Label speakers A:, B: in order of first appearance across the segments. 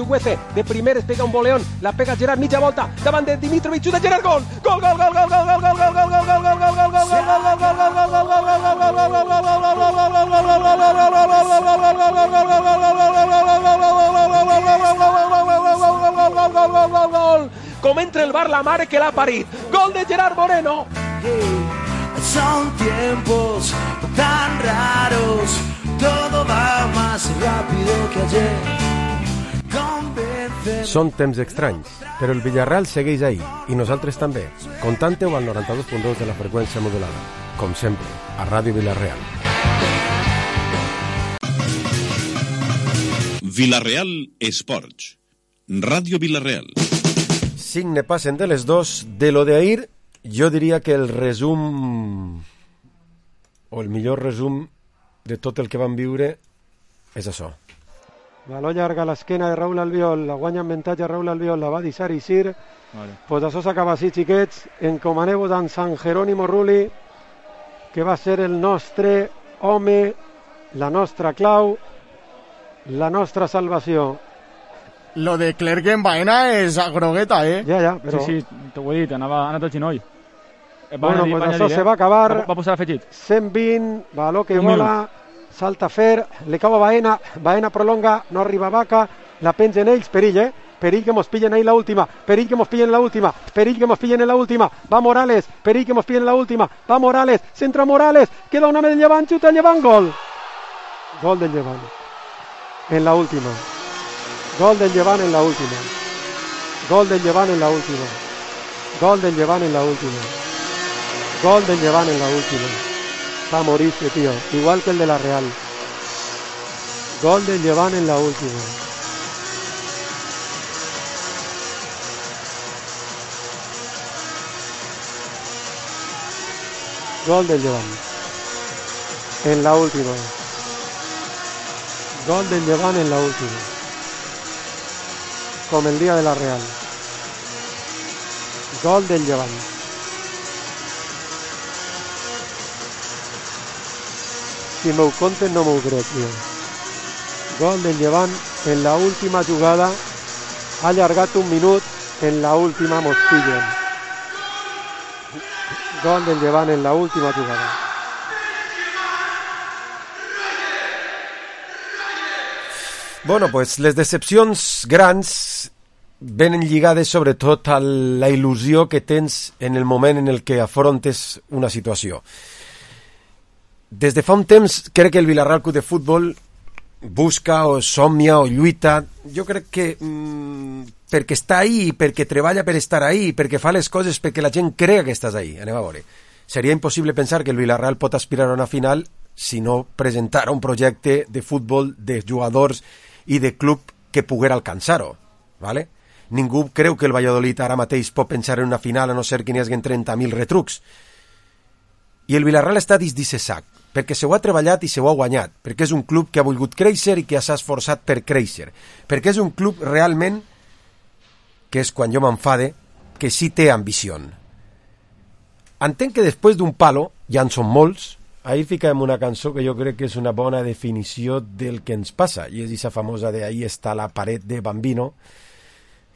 A: Tuguece, de primeres pega un voleón, la pega Gerard, mitja volta, davant de Dimitrovic, xuta Gerard, gol! Gol, gol, gol, gol, gol, gol, gol, gol, gol, gol, gol, gol, gol, gol, gol! Com entra el bar la mare que l'ha parit. Gol de Gerard Moreno.
B: Son tiempos tan raros, todo va más rápido que ayer.
C: Són temps estranys, però el Villarreal segueix ahí, i nosaltres també. Contante-ho al 92.2 de la freqüència modulada. Com sempre, a Ràdio Villarreal.
D: Villarreal Esports. Ràdio Villarreal.
C: 5 ne passen de les 2. De lo de ahir, jo diria que el resum, o el millor resum de tot el que vam viure, és això.
E: Baló llarga a l'esquena de Raúl Albiol, la guanya en avantatge Raúl Albiol, la va deixar Isir. Vale. Pues això s'acaba així, xiquets. Encomaneu-vos en San Jerónimo Rulli, que va ser el nostre home, la nostra clau, la nostra salvació.
F: Lo de Clerc en Baena és a grogueta,
E: Ja, però...
G: Sí, t'ho he dit, anava tot ginoll.
E: Bueno, pues això se va acabar.
G: Va posar afegit.
E: 120, baló que vola, salta Fer, le cau a Baena, Baena prolonga, no arriba Vaca, la pengen ells, perill, perill que mos pillen ahí la última, perill que mos pillen la última, perill que mos pillen en la última, va Morales, perill que mos pillen la última, va Morales, centra Morales, queda un home del Llevant, xuta el Llevant, gol. Gol del Llevant. En la última. Gol del Llevant en la última. Gol del Llevant en la última. Gol del Llevant en la última. Gol del Llevant en la última. Va a morirse, tío. Igual que el de la Real. Gol del Llevant en la última. Gol del Llevant. En la última. Gol del Llevant en la última. Como el día de la Real. Gol del Llevant. Si m'ho conten no m'ho crec, tio. Gol del Llevant en la última jugada. Ha allargat un minut. En la última mos pillen. Gol del Llevant en la última jugada.
C: Bueno, pues les decepcions grans venen lligades sobretot a la il·lusió que tens en el moment en el que afrontes una situació. Des de fa un temps crec que el Villarreal Club de Futbol busca o somnia o lluita, jo crec que perquè està ahí, perquè treballa per estar ahí, perquè fa les coses perquè la gent crea que estàs ahí. Anem a veure. Seria impossible pensar que el Villarreal pot aspirar a una final si no presentara un projecte de futbol, de jugadors i de club que poguera alcançar-ho, ¿vale? Ningú creu que el Valladolid ara mateix pot pensar en una final a no ser que n'hi hagi 30.000 retrucs. I el Villarreal està dins d'aquest sac, perquè se ho ha treballat i se ho ha guanyat, perquè és un club que ha volgut créixer i que s'ha esforçat per créixer, perquè és un club realment, que és quan jo m'enfade, que sí té ambició. Entenc que després d'un palo, ja en són molts, ahir ficàvem una cançó que jo crec que és una bona definició del que ens passa, i és aquesta famosa de ahí està la paret de Bambino,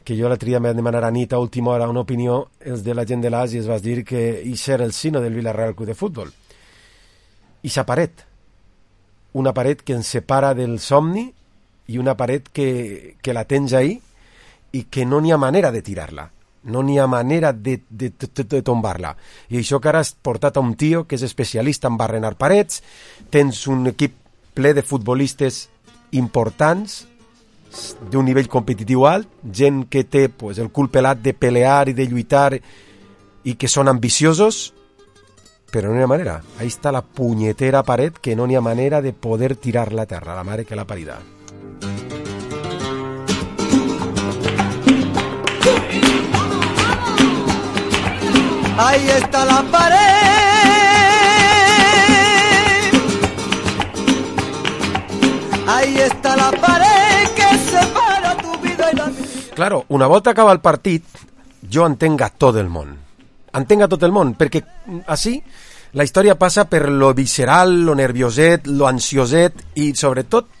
C: que jo l'altre dia em demanar a nit a última hora una opinió, els de la gent de l'As, i es va dir que això era el sino del Villarreal Club de Futbol. Ixa paret, una paret que ens separa del somni i una paret que la tens ahí i que no n'hi ha manera de tirar-la. No n'hi ha manera de tombar-la. I això que ara has portat a un tio que és especialista en barrenar parets, tens un equip ple de futbolistes importants, d'un nivell competitiu alt, gent que té pues, el cul pelat de pelear i de lluitar i que són ambiciosos, però no n'hi ha manera. Ahí està la punyetera paret que no n'hi ha manera de poder tirar-la a terra, la mare que l'ha parida.
B: Ahí está la pared. Ahí está la pared que separa tu vida y la mía.
C: Claro, una volta acaba el partit, jo entenc a tot el món. Entenc a tot el món, perquè així la història passa per lo visceral, lo nervioset, lo ansioset, i sobretot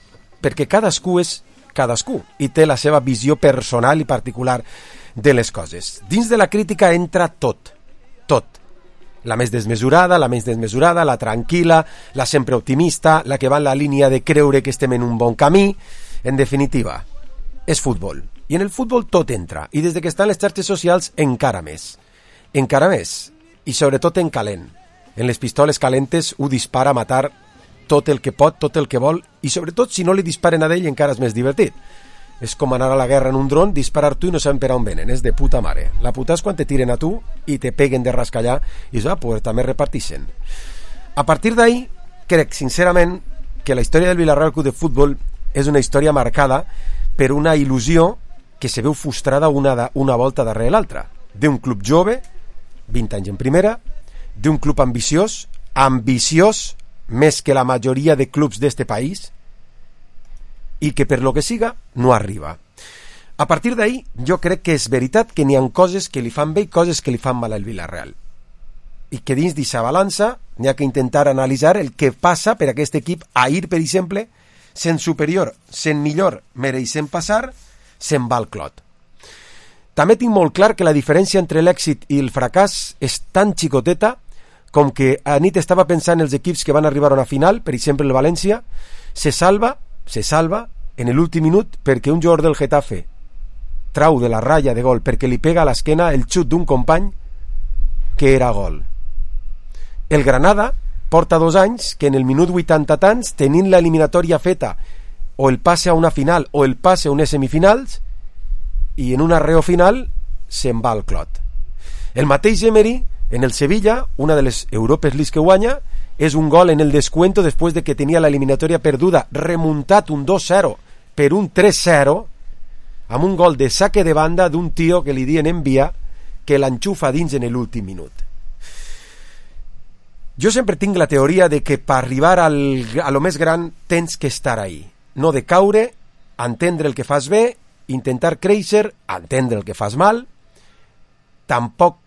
C: perquè cadascú és cadascú i té la seva visió personal i particular de les coses. Dins de la crítica entra tot. La més desmesurada, la tranquil·la, la sempre optimista, la que va en la línia de creure que estem en un bon camí. En definitiva, és futbol. I en el futbol tot entra. I des que estan les xarxes socials encara més. I sobretot en calent. En les pistoles calentes ho dispara a matar tot el que pot, tot el que vol, i sobretot si no li disparen a ell encara és més divertit. És com anar a la guerra en un dron, disparar tu i no saben per on venen, és de puta mare. La puta és quan te tiren a tu i te peguen de rascallar i pues també repartixen. A partir d'ahí, crec sincerament que la història del Villarreal Club de Futbol és una història marcada per una il·lusió que se veu frustrada una volta darrere l'altra. D'un club jove, 20 anys en primera, d'un club ambiciós més que la majoria de clubs d'este país, i que per lo que siga no arriba. A partir d'ahí jo crec que és veritat que n'hi ha coses que li fan bé i coses que li fan mal al Villarreal, i que dins d'aquesta balança n'hi ha que intentar analitzar el que passa per aquest equip. Ahir, per exemple, sent superior, sent millor, mereixent passar, se'n va al clot. També tinc molt clar que la diferència entre l'èxit i el fracàs és tan xicoteta com que a nit estava pensant en els equips que van arribar a una final, per exemple el València, se salva en l'últim minut perquè un jugador del Getafe trau de la ratlla de gol perquè li pega a l'esquena el xut d'un company que era gol. El Granada porta 2 anys que en el minut 80 tants, tenint l'eliminatòria feta, o el passe a una final o el passe a unes semifinals, i en un arreo final se'n va al clot. El mateix Emery en el Sevilla, una de les Europes League que guanya, és un gol en el descuento després de que tenia l'eliminatòria perduda, remuntat un 2-0 per un 3-0, amb un gol de saque de banda d'un tio que li diuen envia, que l'enxufa dins en l'últim minut. Jo sempre tinc la teoria de que per arribar a lo més gran tens que estar ahí, no de caure, entendre el que fas bé, intentar créixer, entendre el que fas mal, tampoc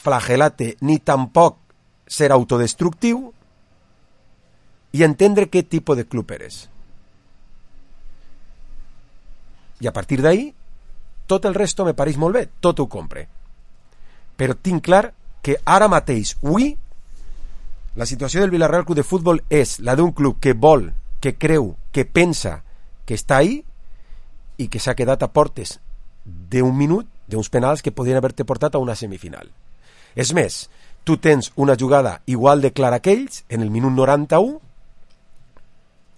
C: flagel·lar-te ni tampoc ser autodestructiu, i entendre què tipus de club eres. I a partir d'ahí, tot el resto me pareix molt bé, tot ho compre. Però tinc clar que ara mateix, avui, la situació del Villarreal Club de Futbol és la d'un club que vol, que creu, que pensa que està ahí i que s'ha quedat a portes d'un minut, d'uns penals que podrien haver-te portat a una semifinal. És més, tu tens una jugada igual de clara que ells, en el minut 91,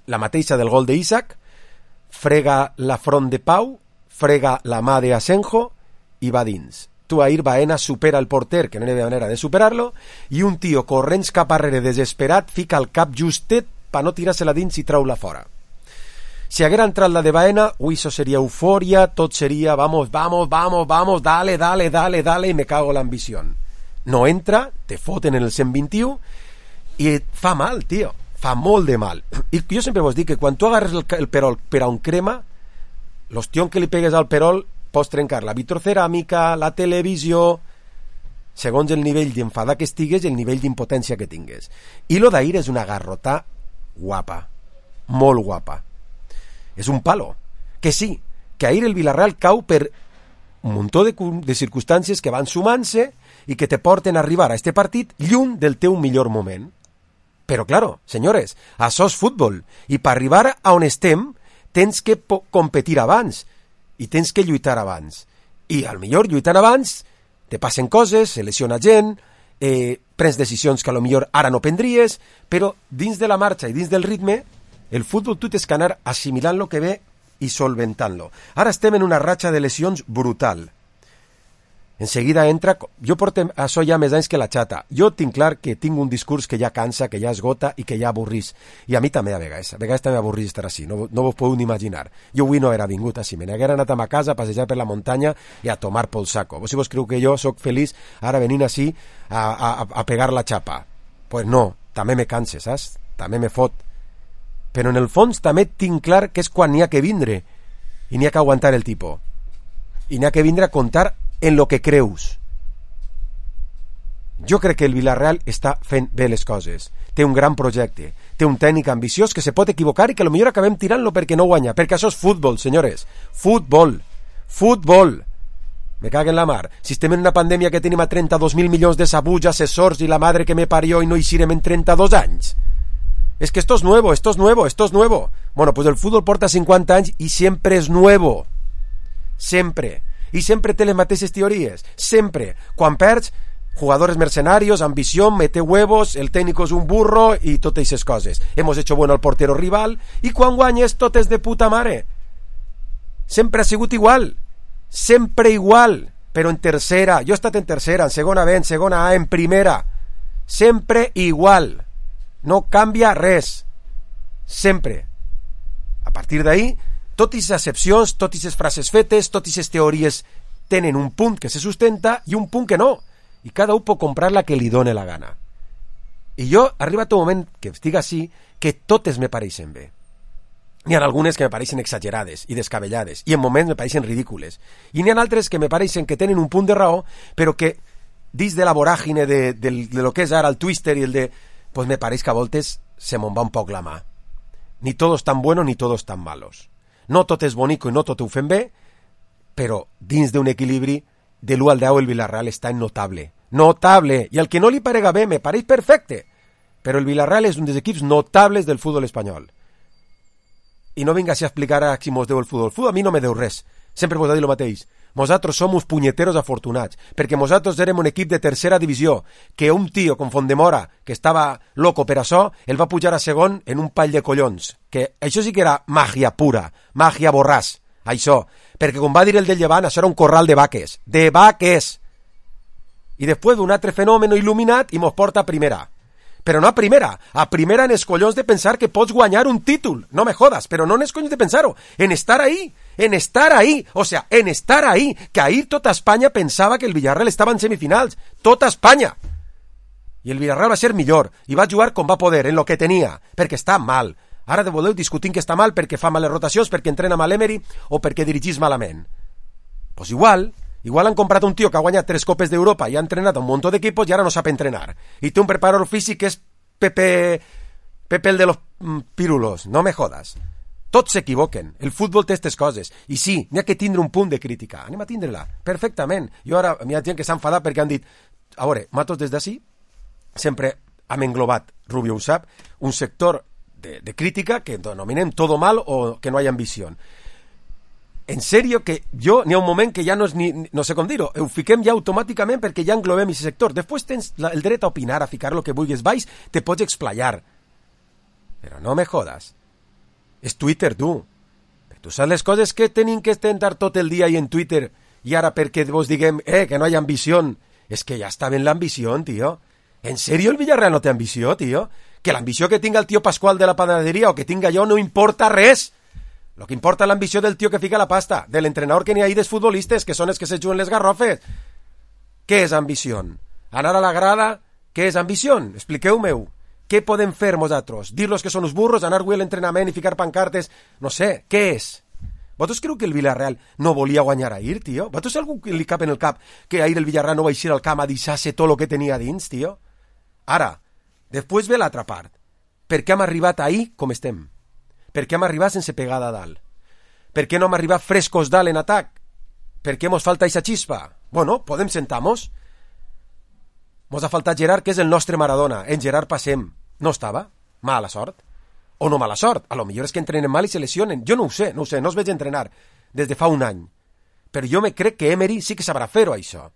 C: la mateixa del gol d'Isaac, frega la front de Pau, frega la mà d'Asenjo i va dins. Tu ahir Baena supera el porter, que no hi havia manera de superar-lo, i un tio corrents cap arrere desesperat fica el cap justet per no tirar-se-la dins i trau-la fora. Si haguera entrat la de Baena, això seria eufòria, tot seria vamos, dale, y me cago la ambición. No entra, te foten en el 121 i et fa mal, tio. Fa molt de mal. I jo sempre vos dic que quan tu agarres el perol per a un crema, l'ostión que li pegues al perol pots trencar la vitroceràmica, la televisió, segons el nivell d'enfadar que estigues i el nivell d'impotència que tingues. I lo d'ahir és una garrotà guapa, molt guapa. És un palo. Que sí, que ahir el Villarreal cau per un muntó de circumstàncies que van sumant-se i que te porten a arribar a este partit lluny del teu millor moment. Però, claro, senyores, això és futbol, i per arribar a on estem tens que competir abans i tens que lluitar abans. I al millor lluitant abans te passen coses, se lesiona gent, prens decisions que a lo millor ara no prendries, però dins de la marxa i dins del ritme, el futbol tu tens que anar assimilant lo que ve i solventant-lo. Ara estem en una ratxa de lesions brutal. En seguida entra... Jo porto això ja més anys que la xata. Jo tinc clar que tinc un discurs que ja cansa, que ja esgota i que ja avorrís. I a mi també a vegades. A vegades també avorrís estar així. No vos podeu ni imaginar. Jo avui no era vingut així. Me n'haguera anat a ma casa a passejar per la muntanya i a tomar pel saco. Vos si vos creu que jo sóc feliç ara venint així a pegar la xapa? Pues no. També me canse, saps? També me fot. Però en el fons també tinc clar que és quan n'hi ha que vindre i n'hi ha que aguantar el tipus. I n'hi ha que vindre a contar en lo que creus. Jo crec que el Villarreal està fent bé les coses. Té un gran projecte, té un tècnic ambiciós que se pot equivocar i que potser acabem tirant-lo perquè no guanya, perquè això és futbol, senyores, futbol. Me cago en la mar. Si estem en una pandèmia que tenim a 32.000 milions de sabuts, assessors i la madre que me parió i no eixirem en 32 anys. Es que esto es nuevo. Bueno, pues el fútbol porta 50 anys i sempre és nuevo. Sempre. I sempre té les mateixes teories. Sempre. Quan perds, jugadores mercenarios, ambición, mete huevos, el técnico es un burro y totes esas coses. Hemos hecho bueno al portero rival i quan guanyes tot és de puta mare. Sempre ha sigut igual. Sempre igual, però en tercera. Jo he estat en tercera, en segona B, en segona A, en primera. Sempre igual. No canvia res. Sempre. A partir d'ahí, totes les excepcions, totes les frases fetes, totes les teories tenen un punt que se sustenta i un punt que no. I cada un pot comprar la que li done la gana. I jo, ha arribat un moment que estic així, que totes me pareixen bé. N'hi ha algunes que me pareixen exagerades i descabellades, i en moments me pareixen ridícules. I n'hi ha altres que me pareixen que tenen un punt de raó, però que, dins de la voràgine de lo que és ara el Twitter i el de... pues me pareix que a voltes se me'n va un poc la mà. Ni todos tan buenos ni todos tan malos. No tot és bonico i no tot ho fem bé, però dins d'un equilibri de l'1 al 10 el Villarreal està en notable. Notable! I al que no li parega bé me pareix perfecte. Però el Villarreal és un dels equips notables del futbol espanyol. I no vinga a explicar a si mos deu el futbol. El futbol a mi no me deu res. Sempre vos ha dit el mateix. Nosaltres som uns punyeteros afortunats, perquè nosaltres érem un equip de tercera divisió, que un tio com Fondemora, que estava loco per això, el va pujar a segon en un pall de collons. Que això sí que era màgia pura, màgia borràs, això. Perquè com va dir el del Llevant, això era un corral de vaques. De vaques! I després d'un altre fenomen il·luminat i mos porta a primera. Però no a primera en els collons de pensar que pots guanyar un títol, no me jodas, però no en els collons de pensar-ho, en estar ahí, o sea, en estar ahí, que ahir tota Espanya pensava que el Villarreal estava en semifinals, tota Espanya, i el Villarreal va ser millor, i va jugar com va poder, en lo que tenia, perquè està mal, ara de voleu discutint que està mal perquè fa males rotacions, perquè entrena mal Emery, o perquè dirigís malament, pues igual han comprat un tio que ha guanyat 3 copes d'Europa i ha entrenat un munt d'equipos i ara no sap entrenar. I té un preparador físic que és Pepe el de los pirulos. No me jodas. Tots s'equivoquen. El futbol té aquestes coses. I sí, n'hi ha que tindre un punt de crítica. Anem a tindre-la. Perfectament. Jo ara, hi ha gent que s'ha enfadat perquè han dit, a veure, nosaltres des d'ací sempre hem englobat, Rubio ho sap, un sector de crítica que denominem todo mal o que no hi ha ambició. En sèrio que jo n'hi ha un moment que ja no és ni, no sé com dir-ho, ho fiquem ja automàticament perquè ja englobem aquest sector. Després tens el dret a opinar, a ficar lo que vulguis baix, te pots explayar. Però no me jodas. És Twitter, tu. Tu saps les coses que tenim que estar tot el dia i en Twitter i ara perquè vos diguem, que no hi ha ambició. És que ja està ben l'ambició, tio. En sèrio el Villarreal no té ambició, tio? Que l'ambició que tinga el tio Pascual de la panaderia o que tinga jo no importa res. Lo que importa és l'ambició del tio que fica la pasta, de l'entrenador que n'hi ha ahí dels futbolistes, que són els que se juguen les garrofes. Què és ambició? Anar a la grada, què és ambició? Expliqueu-me-ho. Què podem fer nosaltres? Dir-los que són uns burros, anar avui a l'entrenament i ficar pancartes? No sé, què és? Vosaltres creu que el Villarreal no volia guanyar ahir, tio? Vosaltres algú li cap en el cap que ahir el Villarreal no va eixir al camp a deixar-se tot el que tenia dins, tio? Ara, després ve l'altra part. Per què hem arribat ahir com estem? Per què hem arribat sense pegada a dalt? Per què no hem arribat frescos dalt en atac? Per què mos falta eixa xispa? Bueno, podem sentar-nos. Mos ha faltat Gerard, que és el nostre Maradona. En Gerard passem. No estava? Mala sort. O no mala sort. A lo millor és que entrenen mal i se lesionen. Jo no ho sé, no els veig entrenar des de fa un any. Però jo me crec que Emery sí que sabrà fer-ho, això.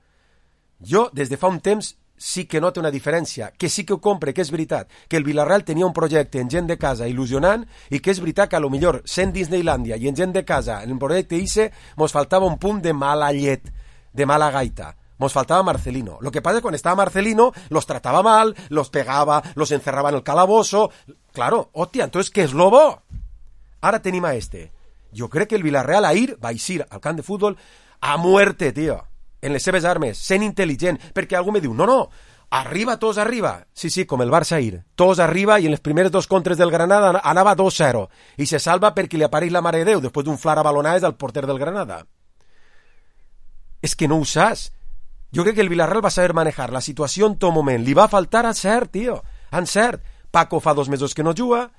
C: Jo, des de fa un temps, sí que noto una diferència, que sí que ho compre, que és veritat, que el Villarreal tenia un projecte en gent de casa il·lusionant i que és veritat que a lo millor sent Disneylandia i en gent de casa en el projecte ICE mos faltava un punt de mala llet, de mala gaita. Mos faltava Marcelino. Lo que pasa es que quan estava Marcelino los trataba mal, los pegaba, los encerraba en el calabozo. Claro, hòstia, entonces què és lo bo? Ara tenim a este. Jo crec que el Villarreal ahir va eixir al camp de futbol a muerte, tio. En les seves armes, sent intel·ligent, perquè algú me diu, no, arriba, tots arriba. Sí, com el Barça ahir, tots arriba i en les primeres 2 contres del Granada anava 2-0 i se salva perquè li apareix la mare de Déu després d'un flar a balonades al porter del Granada. És que no ho saps. Jo crec que el Villarreal va saber manejar la situació en tot moment. Li va faltar encert, tio, encert. Paco fa 2 mesos que no juga,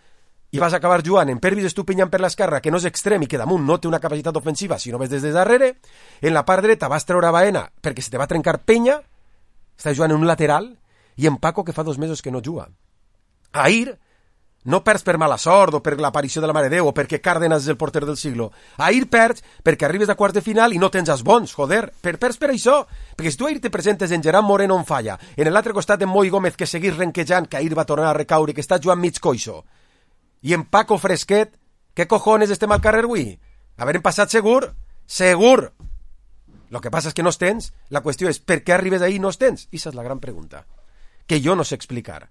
C: i vas acabar jugant en Pervis Estupinyant per l'esquerra, que no és extrem i que damunt no té una capacitat ofensiva si no ves des de darrere. En la part dreta vas treure Baena perquè se te va trencar Penya, està jugant en un lateral, i en Paco, que fa 2 mesos que no juga. Ahir no perds per mala sort o per l'aparició de la Mare de Déu o perquè Cárdenas és el porter del siglo. Ahir perds perquè arribes a quarts de final i no tens els bons, joder. Perds per això. Perquè si tu ahir te presentes en Gerard Moreno on falla, en l'altre costat en Moi Gómez, que seguís renquejant, que ahir va tornar a recaure, que està jugant mig coixo, i en Paco Fresquet, què cojones estem al carrer avui? Haverem passat segur? Segur! Lo que passa és que no els tens. La qüestió és, per què arribes ahí i no els tens? I esa és la gran pregunta, que jo no sé explicar.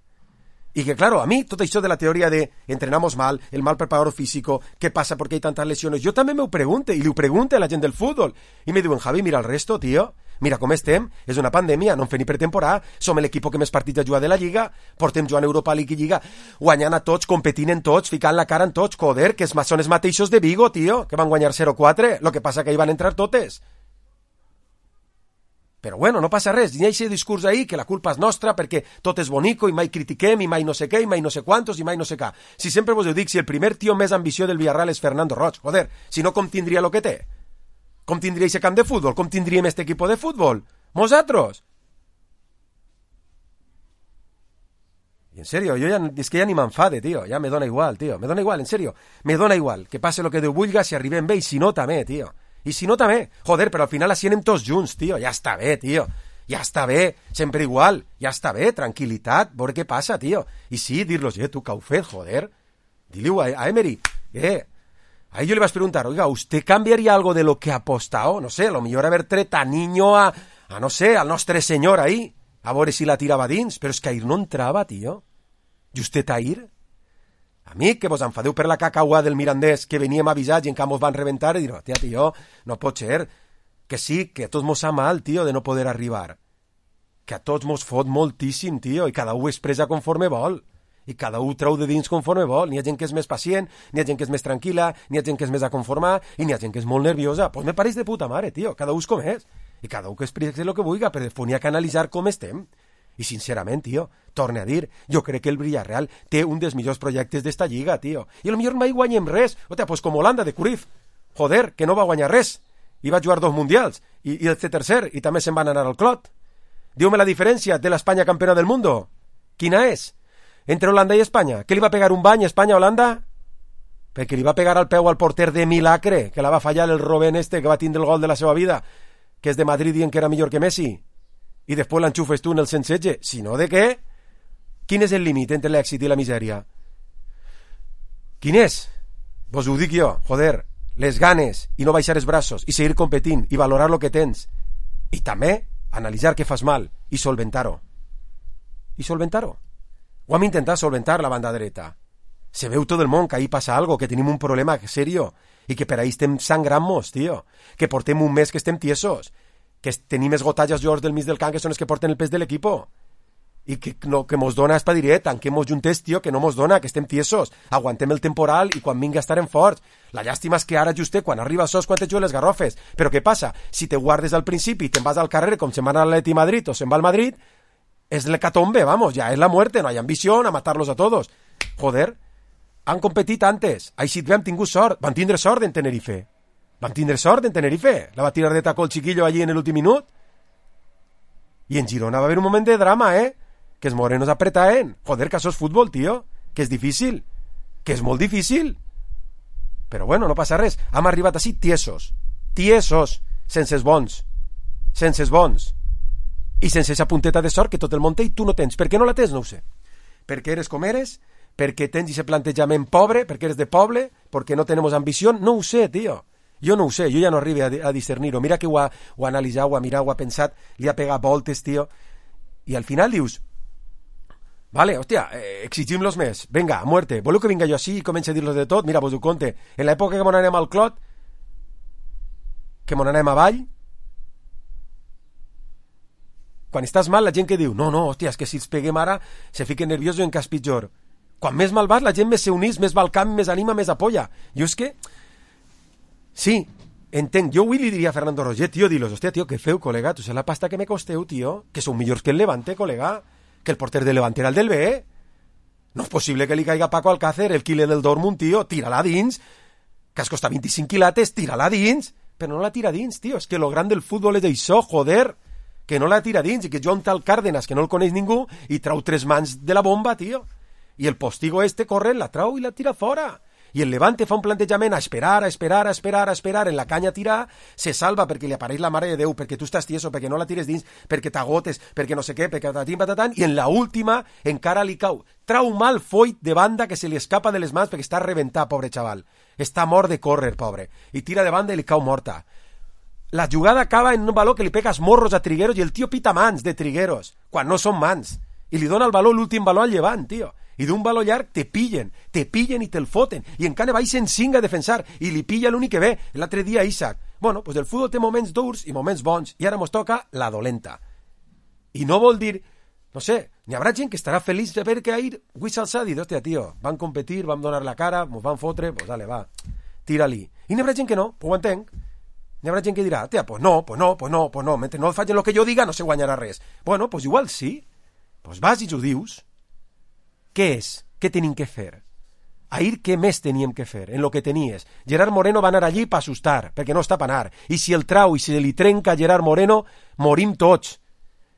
C: Y que claro, a mí todo esto de la teoría de entrenamos mal, el mal preparador físico, ¿qué pasa porque hay tantas lesiones? Yo también me ho pregunte, y li ho pregunte a la gent del fútbol. I me diuen, Javi, mira el resto, tío. Mira com estem, és una pandèmia, no en fem ni pretemporada, som l'equip que més partits ha jugat de la Lliga, portem jugant Europa League i Lliga, guanyant a tots, competint en tots, ficant la cara en tots, joder, que són els mateixos de Vigo, tío, que van guanyar 0-4, lo que passa que hi van entrar totes. Però bueno, no passa res, hi ha aquest discurs ahí que la culpa és nostra perquè tot és bonico i mai critiquem i mai no sé què i mai no sé quantos i mai no sé què. Si sempre vos ho dic, si el primer tio més ambició del Villarreal és Fernando Roig, joder, si no com tindria lo que té? Com tindria aquest camp de futbol? Com tindríem este equipo de futbol? Nosaltres? I en serio, jo ja, és que ja ni m'enfade, tio, ja me dona igual, tio, me dona igual, en serio, me dona igual, que passe lo que Déu vulga, si arribem bé i si no també, tio. I si no també, joder, però al final així anem tots junts, tio, ja està bé, tio, ja està bé, sempre igual, ja està bé, tranquil·litat, veure què passa, tio. I sí, dir-los, tu que heu fet, joder, dile-ho a Emery, ahí yo le vas a preguntar, oiga, ¿usted cambiaría algo de lo que ha apostado? No sé, a lo mejor haber tret a Niño a no sé, al nostre senyor ahí, a veure si la tirava dins, però és que ahir no entrava, tio. I usted ahir? A mi, que vos enfadeu per la cacaua del Mirandés, que veníem avisats i encara mos van reventar i dir, tia, tio, no pot ser. Que sí, que a tots mos fa mal, tio, de no poder arribar. Que a tots mos fot moltíssim, tio, i cada un expressa conforme vol. I cada un treu de dins conforme vol. N'hi ha gent que és més pacient, n'hi ha gent que és més tranquil·la, n'hi ha gent que és més a conformar i n'hi ha gent que és molt nerviosa. Pues me pareix de puta mare, tio, cada un és com és. I cada un que expressa el que vulgui, però després n'hi ha que analitzar com estem. I sincerament, tio, torne a dir, jo crec que el Villarreal té un dels millors projectes d'esta lliga, tio. I potser mai guanyem res. Hòstia, pues com Holanda de Cruyff. Joder, que no va guanyar res. I va jugar 2 mundials. I el tercer, i també se'n van anar al clot. Diu-me la diferència de l'Espanya campiona del mundo. Quina és? Entre Holanda i Espanya. Què li va pegar un bany a Espanya a Holanda? Perquè li va pegar al peu al porter de Milagre, que la va fallar el Robben este, que va tindre el gol de la seva vida, que és de Madrid dient que era millor que Messi. I després l'enxufes tu en el 116. Si no, de què? Quin és el límit entre l'èxit i la misèria? Quin és? Vos ho dic jo, joder, les ganes i no baixar els braços i seguir competint i valorar lo que tens. I també analitzar què fas mal i solventar-ho. I solventar-ho. Ho hem intentat solventar la banda dreta. Se veu tot el món que ahí passa algo, que tenim un problema serio i que per ahí estem sangrant-nos, tio. Que portem un mes que estem tiesos. Que tenim esgotats els jugadors del mig del camp que són els que porten el pes de l'equipo. I que mos dona espadiret, tanquem-nos juntes, tio, que no mos dona, que estem tiesos. Aguantem el temporal i quan vinga estarem forts. La llàstima és que ara justet, quan arriba sos, quan te juguen les garrofes. Però què passa? Si te guardes al principi i te'n vas al carrer com se'n va a l'Atleti Madrid o se'n va al Madrid, és l'hecatombe, vamos, ja és la muerte, no hay ambició a matarlos a todos. Joder, han competit antes. Així hem tingut sort. Van tindre sort en Tenerife. Van tindre sort en Tenerife. La va tirar de taco el chiquillo allí en l'últim minut. I en Girona va haver un moment de drama, que els morenos apretaven. Joder, que això és futbol, tio. Que és difícil. Que és molt difícil. Però bueno, no passa res. Hem arribat així tiesos. Tiesos. Sense els bons. Sense els bons. I sense esa punteta de sort que tot el món té i tu no tens. Per què no la tens? No ho sé. Perquè eres com eres? Perquè tens ese plantejament pobre? Perquè eres de poble? Perquè no tenemos ambició? No ho sé, tio. Jo no ho sé, jo ja no arribo a discernir-ho. Mira que ho ha analitzat, ho ha mirat, ho ha pensat, li ha pegat voltes, tio. I al final dius, vale, hòstia, exigim-los més. Venga, a muerte. Voleu que vinga jo així i comenci a dir-los de tot? Mira, vos ho conte. En l'època que mon anem al clot, que mon anem avall, quan estàs mal, la gent que diu, no, hòstia, és que si els peguem ara se fiquen nerviosos en cas pitjor. Quan més mal vas, la gent més se unís, més va al camp, més anima, més apoya. Jo és que... Sí, entenc. Jo avui li diria a Fernando Roger, tio, dilos, hòstia, tio, què feu, col·lega? Tu sé la pasta que me costeu, tio? Que sou millors que el Levante, col·lega? Que el porter del Levante era el del B, No és possible que li caiga a Paco Alcácer, el killer del Dortmund, tio, tira-la dins, que has costat 25 quilates, tira-la dins, però no la tira dins, tio, és que lo gran del futbol és això, joder, que no la tira dins, i que jo un tal Cárdenas, que no el coneix ningú, i trau 3 mans de la bomba, tio, i el postigo corre, la trau i la tira fora. I el Levante fa un plantejament a esperar, en la canya a tirar, se salva perquè li apareix la mare de Déu, perquè tu estàs tieso, perquè no la tires dins, perquè t'agotes, perquè no sé què, perquè patatim, i en la última encara li cau. Trau mal Foyt de banda que se li escapa de les mans perquè està reventat, pobre xaval. Està mort de córrer, pobre. I tira de banda i li cau morta. La jugada acaba en un baló que li pegas morros a Trigueros i el tio pita mans de Trigueros, quan no són mans. I li dona el baló, l'últim baló al Llevant, tio. I d'un baló llarg te pillen i te'l foten, i encara baixen 5 a defensar, i li pilla l'únic que ve, l'altre dia Isaac. Bueno, pues el futbol té moments durs i moments bons, i ara mos toca la dolenta. I no vol dir, no sé, n'hi haurà gent que estarà feliç de veure que ahir Wissal s'ha dit, hòstia, tio, van competir, vam donar la cara, mos van fotre, pues dale, va, tira-li. I n'hi haurà gent que no, pues ho entenc. N'hi haurà gent que dirà, tia, pues no, mentre no facin el que jo diga no se guanyarà res. Bueno, pues igual sí, pues vas i ho dius. Què és? Què tenim que fer? Ahir què més teníem que fer? En lo que tenies. Gerard Moreno va anar allí per assustar, perquè no està per anar. I si el trau i si li trenca Gerard Moreno, morim tots.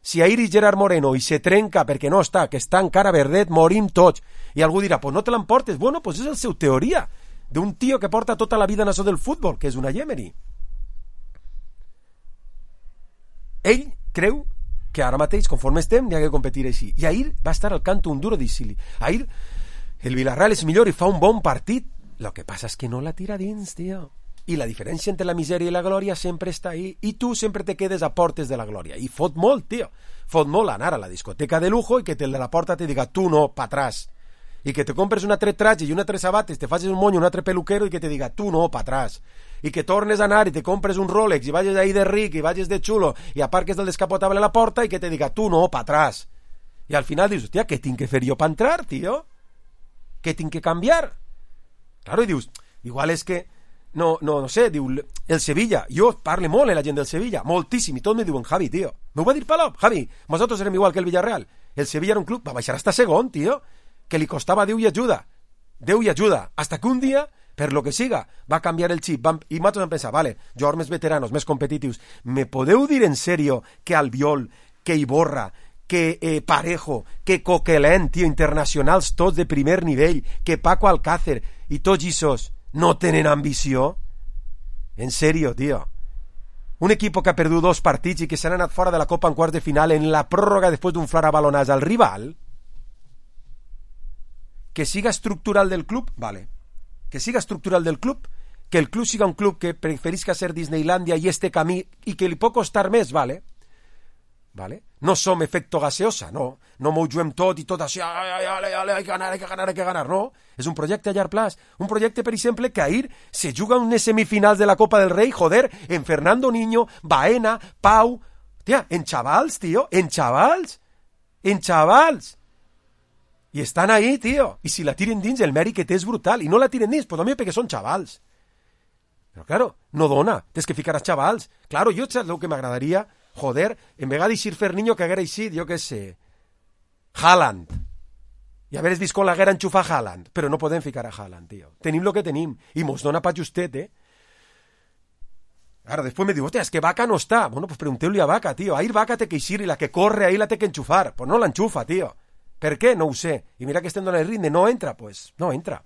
C: Si ahir és Gerard Moreno i se trenca perquè no està, que està encara verdet, morim tots. I algú dirà, pues no te l'emportes. Bueno, pues és el seu teoria, d'un tio que porta tota la vida en això del futbol, que és una Emery. Ell creu que ara mateix, conforme estem, n'hi ha que competir així. I ahir va estar al canto un duro d'Isili. Ahir el Villarreal és millor i fa un bon partit. Lo que passa és que no la tira dins, tio. I la diferència entre la misèria i la glòria sempre està ahí. I tu sempre te quedes a portes de la glòria. I fot molt, tio. Fot molt anar a la discoteca de lujo i que el de la porta te diga tu no, pa atrás. I que te compres un altre traje i un altre sabates, te facis un monyo, un altre peluquero i que te diga tu no, pa atrás. I que tornes a anar i te compres un Rolex i vagis ahí de ric i vagis de xulo i aparques del descapotable a la porta i que te diga tu no, pa atrás. I al final dius, hòstia, què tinc que fer jo per entrar, tio? Què tinc que canviar? Claro, i dius, igual és que no sé, diu, el Sevilla, jo parle molt en la gent del Sevilla, moltíssim, i tot me diuen, Javi, tio, m'ho va dir Palop, Javi, nosaltres érem igual que el Villarreal, el Sevilla era un club, va baixar hasta segon, tio, que li costava Déu i ajuda, hasta que un dia, per lo que siga, va canviar el xip, i nosaltres vam pensar, vale, jugadors més veteranos, més competitius, me podeu dir en serio que Albiol, que Iborra, que Parejo, que Coquelin, tio, internacionals tots de primer nivell, que Paco Alcácer i tots isos no tenen ambició? En serio, tio. Un equipo que ha perdut 2 partits i que s'han anat fora de la Copa en quarts de final en la pròrroga després d'un flara balonàs al rival, que siga estructural del club, vale. Que siga estructural del club, que el club siga un club que preferisca ser Disneylandia i este camí i que li pot costar més, vale. No som efecto gaseosa, no m'ho juguem tot i tot així, hay que ganar, no. És un projecte a llarg plaç, un projecte, per exemple, que ahir se juga unes semifinals de la Copa del Rei, joder, en Fernando Niño, Baena, Pau, tia, en xavals, tio, en xavals, i estan ahí, tio, i si la tiren dins el mèrit que té és brutal, i no la tiren dins, pues també perquè són xavals. Però claro, no dona, tens que ficar a xavals. Claro, jo saps el que m'agradaria, joder, en vegada d'eixir Ferniño que haguera eixit, jo què sé, Haaland, i haver vist com l'haguera enxufar Haaland, però no podem ficar a Haaland, tio. Tenim el que tenim, i mos dona pa justet, Ara, després me diu, hòstia, és que Vaca no està. Bueno, pues pregunteu-li a Vaca, tio. Ahir Vaca té que eixir i la que corre ahir la té que enxufar. Pues no l'enxufa, tio. Per què? No ho sé. I mira que estem donant el ritme. No entra, pues. No entra.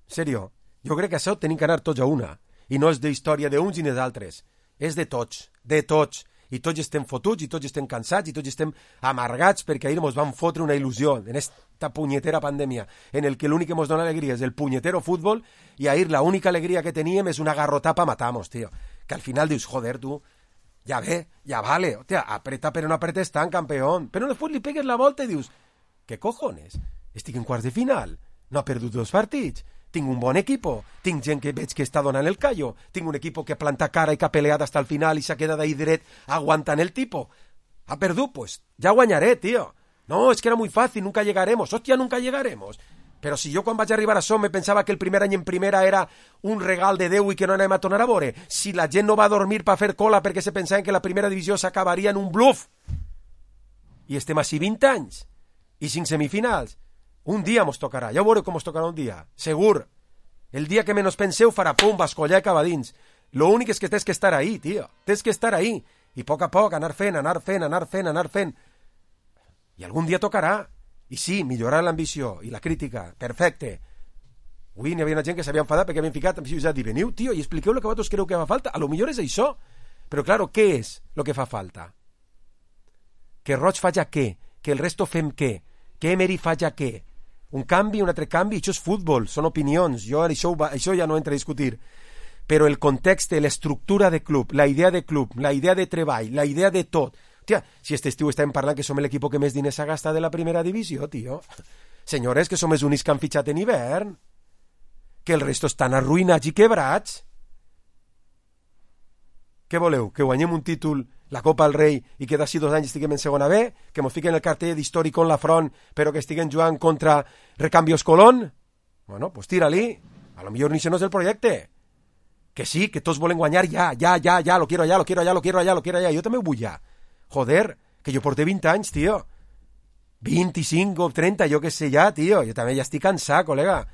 C: En serio, jo crec que això tenim que anar tots a una. I no és d'història d'uns i d'altres. És de tots. I tots estem fotuts, i tots estem cansats, i tots estem amargats perquè ahir mos van fotre una il·lusió en esta punyetera pandèmia, en el que l'únic que mos dona alegria és el punyetero futbol, i ahir la única alegria que teníem és una garrotapa matamos, tio. Que al final dius, joder, tu, ja ve, ja vale, hòstia, apreta però no apretes tant, campeón. Però després li pegues la volta i dius, què cojones? Estic en quarts de final, no ha perdut 2 partits, tinc un bon equipo, tinc gent que veig que està donant el callo, tinc un equipo que planta cara i que ha peleat hasta el final i s'ha quedat ahí dret aguantant el tipo. Ha perdut, pues ya guanyaré, tío. No, es que era muy fácil, nunca llegaremos. Hostia, nunca llegaremos. Però si jo quan vaig arribar a això me pensava que el primer any en primera era un regal de Déu i que no anem a tornar a veure. Si la gent no va a dormir per fer cola perquè se pensaven que la primera divisió s'acabaria en un bluff. I estem així 20 anys. i 5 semifinals. Un dia mos tocarà, ja ho veureu com mos tocarà un dia, segur. El dia que menos penseu farà pum, bascollar i acabar dins. Lo únic és que tens que estar ahí, tio. Tens que estar ahí. I a poc anar fent. I algun dia tocarà. I sí, millorar l'ambició i la crítica. Perfecte. Avui n'hi havia una gent que s'havia enfadat perquè havien ficat en ciutat i veniu, tio, i expliqueu el que vosaltres creu que fa falta. A lo millor és això. Però, claro, què és el que fa falta? Que Roig faci què? Que el resto fem què? Que Emery faci què? Un canvi, un altre canvi, això és futbol, són opinions, jo això ja no entra a discutir. Però el context, l'estructura de club, la idea de treball, la idea de tot. Hòstia, si este estiu estàvem parlant que som l'equip que més diners s'ha gastat de la primera divisió, tio. Senyores, que som els únics que han fitxat en hivern. Que el resto estan arruïnats i quebrats. Què voleu? Que guanyem un títol, la Copa del Rei, i que d'ací 2 anys estiguem en segona B? Que mos fiquen el cartell d'històric en la front, però que estiguem jugant contra Recambios Colón? Bueno, pues tira-li. A lo millor ni això no és el projecte. Que sí, que tots volen guanyar ja, lo quiero allá. Jo també ho vull ja. Joder, que jo porté 20 anys, tio. 25 o 30, jo que sé ja, tio. Jo també ja estic cansat, col·lega.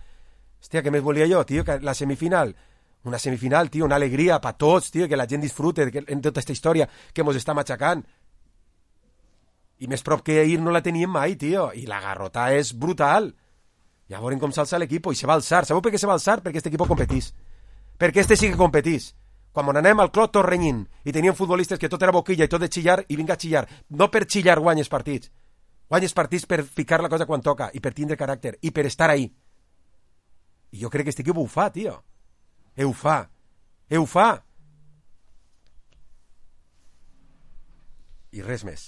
C: Hòstia, què més volia jo, tio? Que la semifinal... Una semifinal, tio, una alegria per tots, tio, que la gent disfrute en tota aquesta història que mos està matxacant. I més prop que ahir no la teníem mai, tio. I la garrota és brutal. Ja veurem com s'alça l'equip i se va alçar. Sabeu per què se va alçar? Perquè aquest equip competís. Perquè este sí que competís. Quan anem al clot tot renyint i teníem futbolistes que tot era boquilla i tot de xillar i vinga a xillar. No per xillar guanyes partits. Guanyes partits per ficar la cosa quan toca i per tindre caràcter i per estar ahí. I jo crec que este equip ho fa, tio. Ho fa. I res més.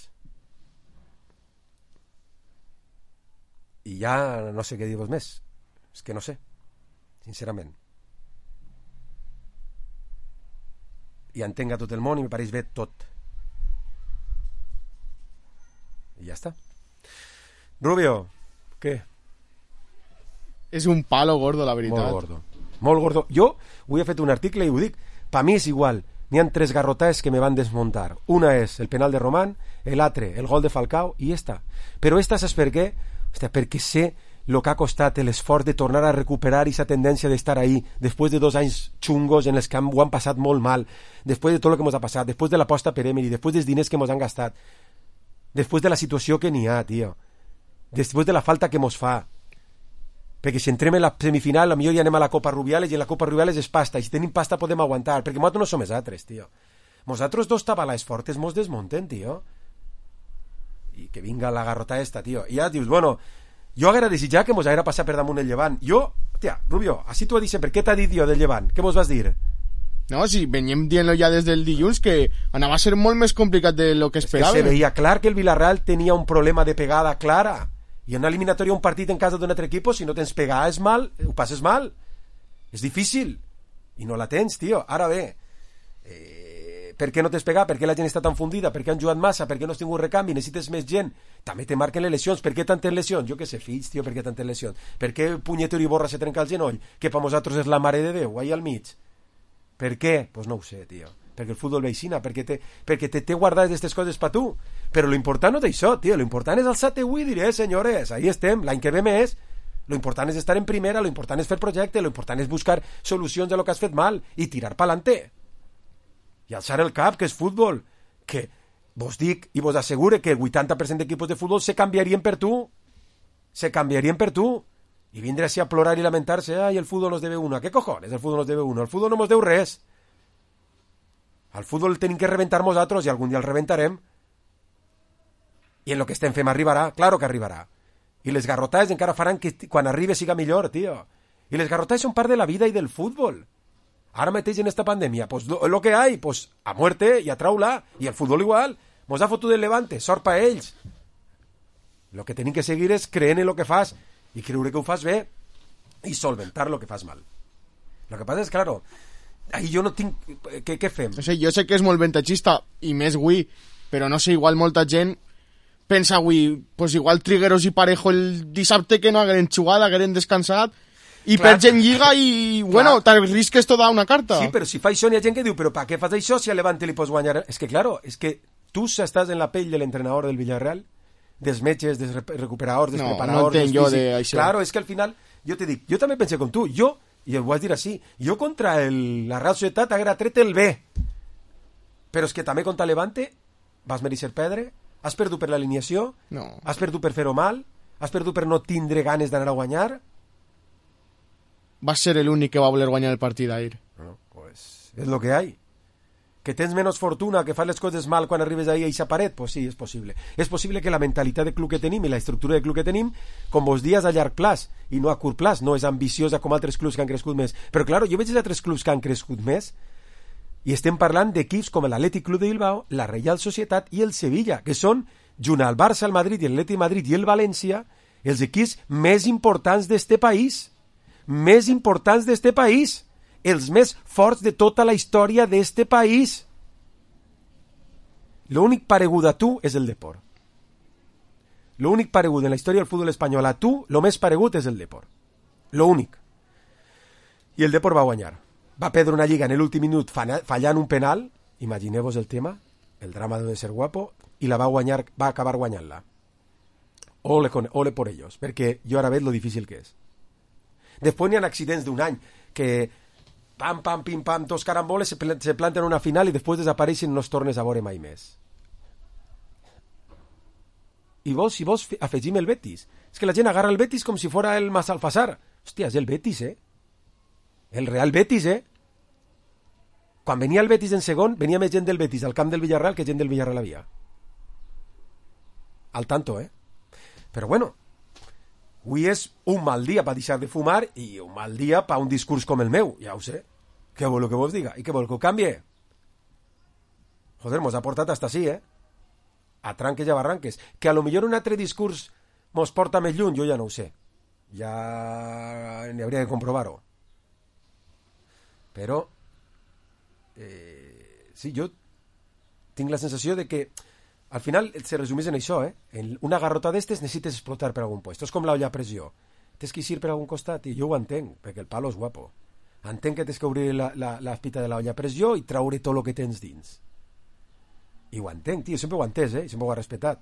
C: I ja no sé què dir-vos més. És que no sé, sincerament. I entenc a tot el món i me pareix bé tot. I ja està. Rubio, què?
F: És un palo gordo, la veritat.
C: Molt gordo. Jo avui he fet un article i ho dic. Pa mi és igual. N'hi ha 3 garrotaes que me van desmuntar. Una és el penal de Román, l'altre el gol de Falcao i esta. Però esta saps per què? Hòstia, perquè sé el que ha costat l'esforç de tornar a recuperar aquesta tendència d'estar ahí després de 2 anys xungos en els que ho han passat molt mal, després de tot el que ens ha passat, després de l'aposta per Emery, després dels diners que ens han gastat, després de la situació que n'hi ha, tio, després de la falta que ens fa. Perquè si entrem en la semifinal potser ja anem a la Copa Rubiales i en la Copa Rubiales és pasta i si tenim pasta podem aguantar perquè nosaltres no som els altres, tio. Nosaltres 2 tabalais fortes mos desmunten, tio, i que vinga la garrota esta, tio. I ja dius, bueno, jo haguera desitjat que mos haguera passat per damunt el Llevant. Jo, tia, Rubio, així t'ho he dit sempre, què t'ha dit jo del Llevant? Què mos vas dir?
F: No, sí, veníem dient-lo ja des del dilluns que anava a ser molt més complicat de lo que esperàvem.
C: Es que se veia clar que el Villarreal tenia un problema de pegada clara. I en una eliminatòria, un partit en casa d'un altre equip, si no tens pegada és mal, ho passes mal. És difícil. I no la tens, tio. Ara bé, per què no tens pegada? Per què la gent està tan fundida? Per què han jugat massa? Per què no has tingut recanvi? Necessites més gent? També te marquen les lesions. Per què tantes lesions? Jo què sé, fills, tio, per què tantes lesions? Per què Punyetero i Borra se trenca el genoll? Que per nosaltres és la mare de Déu, ahí al mig. Per què? Pues no ho sé, tio. Perquè el futbol veïcina, perquè té guardades d'aquestes coses per tu. Però lo important no és això, tio. Lo important és alçar-te avui i diré, senyores, ahí estem, l'any que ve més. Lo important és estar en primera, lo important és fer projecte, lo important és buscar solucions a lo que has fet mal i tirar pa'lante. I alçar el cap, que és futbol. Que vos dic i vos assegure que el 80% d'equipos de futbol se canviarien per tu. Se canviarien per tu. I vindre així a plorar i lamentar-se, ai, el futbol nos debe una. ¿Qué cojones el futbol nos debe una? El futbol no nos deu res. Al futbol el tenim que reventar nosaltres i algun dia el reventarem. I en lo que estem fent arribarà, claro que arribarà. I les garrotades encara faran que quan arribi siga millor, tio. I les garrotades són part de la vida i del futbol. Ara mateix en esta pandèmia, pues lo que hay, pues a muerte y a traula. I el futbol igual. Mos ha fotut el Levante, sort pa ells. Lo que tenim que seguir és creent en lo que fas i creure que ho fas bé i solventar lo que fas mal. Lo que passa és, claro, ahí jo no tinc... Què fem?
F: No sé, jo sé que és molt ventatxista i més avui, però no sé, igual molta gent pensa avui, pues igual Trigueros i Parejo el dissabte que no hagueren jugat, hagueren descansat i perds en Lliga i, bueno, t'arrisques tota una carta.
C: Sí, però si fa això n'hi ha gent que diu, però per què fas això si a Levante li pots guanyar? És que, claro, és que tu estàs en la pell de l'entrenador del Villarreal, dels metges, dels recuperadors, dels
F: No,
C: preparadors...
F: no entenc
C: dels
F: jo
C: físics.
F: d'això.
C: Claro, és que al final, jo te dic, jo també pensé com tu, i ho vaig dir així, jo contra la Real Societat haguera tret el B, però és que també contra Levante vas mereixer perdre, has perdut per l'alineació,
F: No.
C: has perdut per fer-ho mal, has perdut per no tindre ganes d'anar a guanyar.
F: Va ser l'únic que va voler guanyar el partit ahir.
C: No, pues és lo que hay. Que tens menys fortuna, que fas les coses mal quan arribes ahí a eixa paret, pues sí, és possible. És possible que la mentalitat de club que tenim i la estructura de club que tenim, com vos dies a llarg plaç i no a curt plaç, no és ambiciosa com altres clubs que han crescut més. Però claro, jo veig els altres clubs que han crescut més i estem parlant d'equips com l'Atlètic Club de Bilbao, la Real Societat i el Sevilla, que són, junt al Barça, el Madrid i l'Atlètic Madrid i el València, els equips més importants d'este país. Més importants d'este país. Els més forts de tota la història d'este país. L'únic paregut a tu és el Depor. L'únic paregut en la història del futbol espanyol a tu, lo més paregut és el Depor. L'únic. I el Depor va guanyar. Va perdre una lliga en l'últim minut fallant un penal, imagineu-vos el tema, el drama de ser guapo, i la va guanyar, va acabar guanyant-la. Ole por ellos, perquè jo ara veig lo difícil que és. Després n'hi ha accidents d'un any que pam, pam, pim, pam, dos caramboles se planten una final i després desapareixen i no es tornes a veure mai més. I si vols afegim el Betis. És que la gent agarra el Betis com si fora el Massalfassar. Hòstia, és el Betis, El Real Betis, Quan venia el Betis en segon, venia més gent del Betis al camp del Villarreal que gent del Villarreal havia. Al tanto, Però bueno, avui és un mal dia per deixar de fumar i un mal dia per un discurs com el meu, ja ho sé. Què vol que vos diga? I què vol que ho canvie? Joder, mos ha portat hasta així, A tranques i a barranques. Que a lo millor un altre discurs mos porta més lluny, jo ja no ho sé. Ja n'hi hauria de comprovar-ho. Però sí, jo tinc la sensació de que al final se resumís en això, En una garrota d'estes necessites explotar per algun puesto. És com l'olla a pressió. Tens que eixir per algun costat i jo ho entenc, perquè el palo és guapo. Entenc que tens que obrir l'espita de l'olla a pressió i traure tot el que tens dins. I ho entenc, tio, sempre ho he entès, i sempre ho he respetat.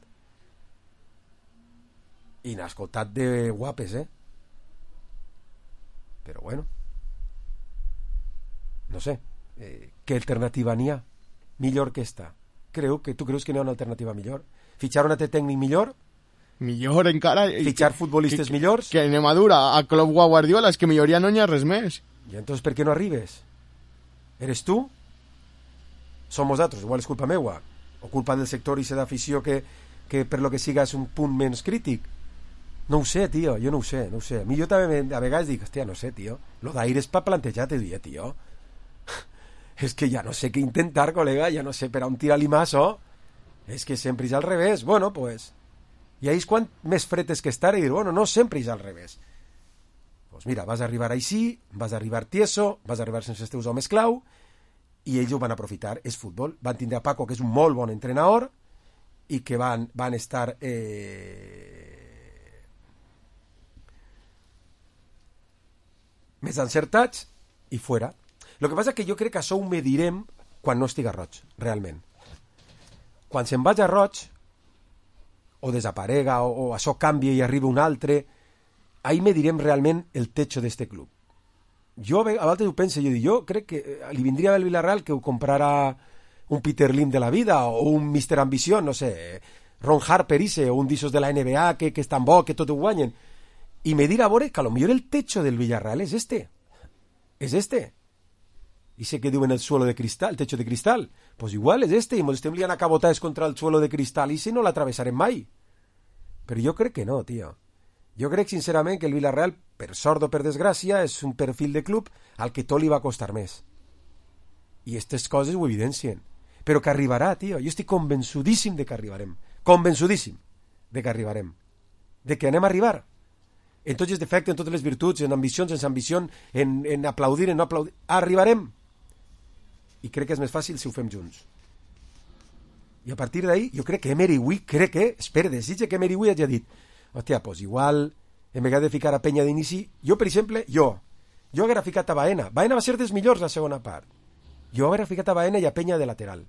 C: I n'ha escoltat de guapes, Però bueno, no sé, què alternativa n'hi ha? Millor que esta. Tu creus que n'hi ha una alternativa millor? Fitxar un altre tècnic millor?
F: Millor encara...
C: Fitxar futbolistes millors?
F: Que anem a dur a Klopp o a Guardiola, és que milloria no n'hi ha res més.
C: I entonces per què no arribes? Eres tu? Som nosaltres, igual és culpa meua o culpa del sector i d'afició que per lo que siga és un punt menys crític. No ho sé, tio, jo no ho sé. A mi jo també a vegades dic, hòstia, no sé, tio, lo d'aire és per plantejar-te, tio. És que ja no sé què intentar, col·lega, ja no sé per on tirar-li maso. És que sempre és al revés. Bueno, pues, i ahí és quan més fred és que estar i dir, bueno, no sempre és al revés. Pues mira, vas arribar així, vas arribar tieso, vas arribar sense els teus homes clau, i ells ho van aprofitar. És futbol. Van tindre a Paco, que és un molt bon entrenador, i que van estar més encertats i fora. El que passa és que jo crec que això ho medirem quan no estiga Roig, realment. Quan se'n vaig a Roig, o desaparega, o això canvia i arriba un altre, ahí medirem realment el techo d'este club. Jo a vegades ho penso, jo crec que li vindria bé el Villarreal que ho comprara un Peter Lim de la vida, o un Mr. Ambició, no sé, Ron Harper o un d'issos de la NBA que és tan bo, que tot ho guanyen, i me dirà a veure que a lo millor el techo del Villarreal és este. Y sé que diuen el suelo de cristal, el techo de cristal. Pues igual és este, i ens estem liant a cabotades contra el suelo de cristal, i si no l'atravessarem mai. Però jo crec que no, tio. Jo crec sincerament que el Villarreal, per sort o per desgràcia, és un perfil de club al que tot li va costar més. I aquestes coses ho evidencien. Però que arribarà, tio. Jo estic convençudíssim de que arribarem. Convençudíssim de que arribarem. De que anem a arribar. En tots els defectes, en totes les virtuts, en ambicions, sense ambició, en aplaudir, en no aplaudir. Arribarem. I crec que és més fàcil si ho fem junts. I a partir d'ahí, jo crec que Emery Hui, desitge que Emery Hui hagi dit, hòstia, pues igual, en vegades de ficar a Penya d'inici, jo, per exemple, jo haguera ficat a Baena va ser dels millors la segona part. Jo haguera ficat a Baena i a Penya de lateral.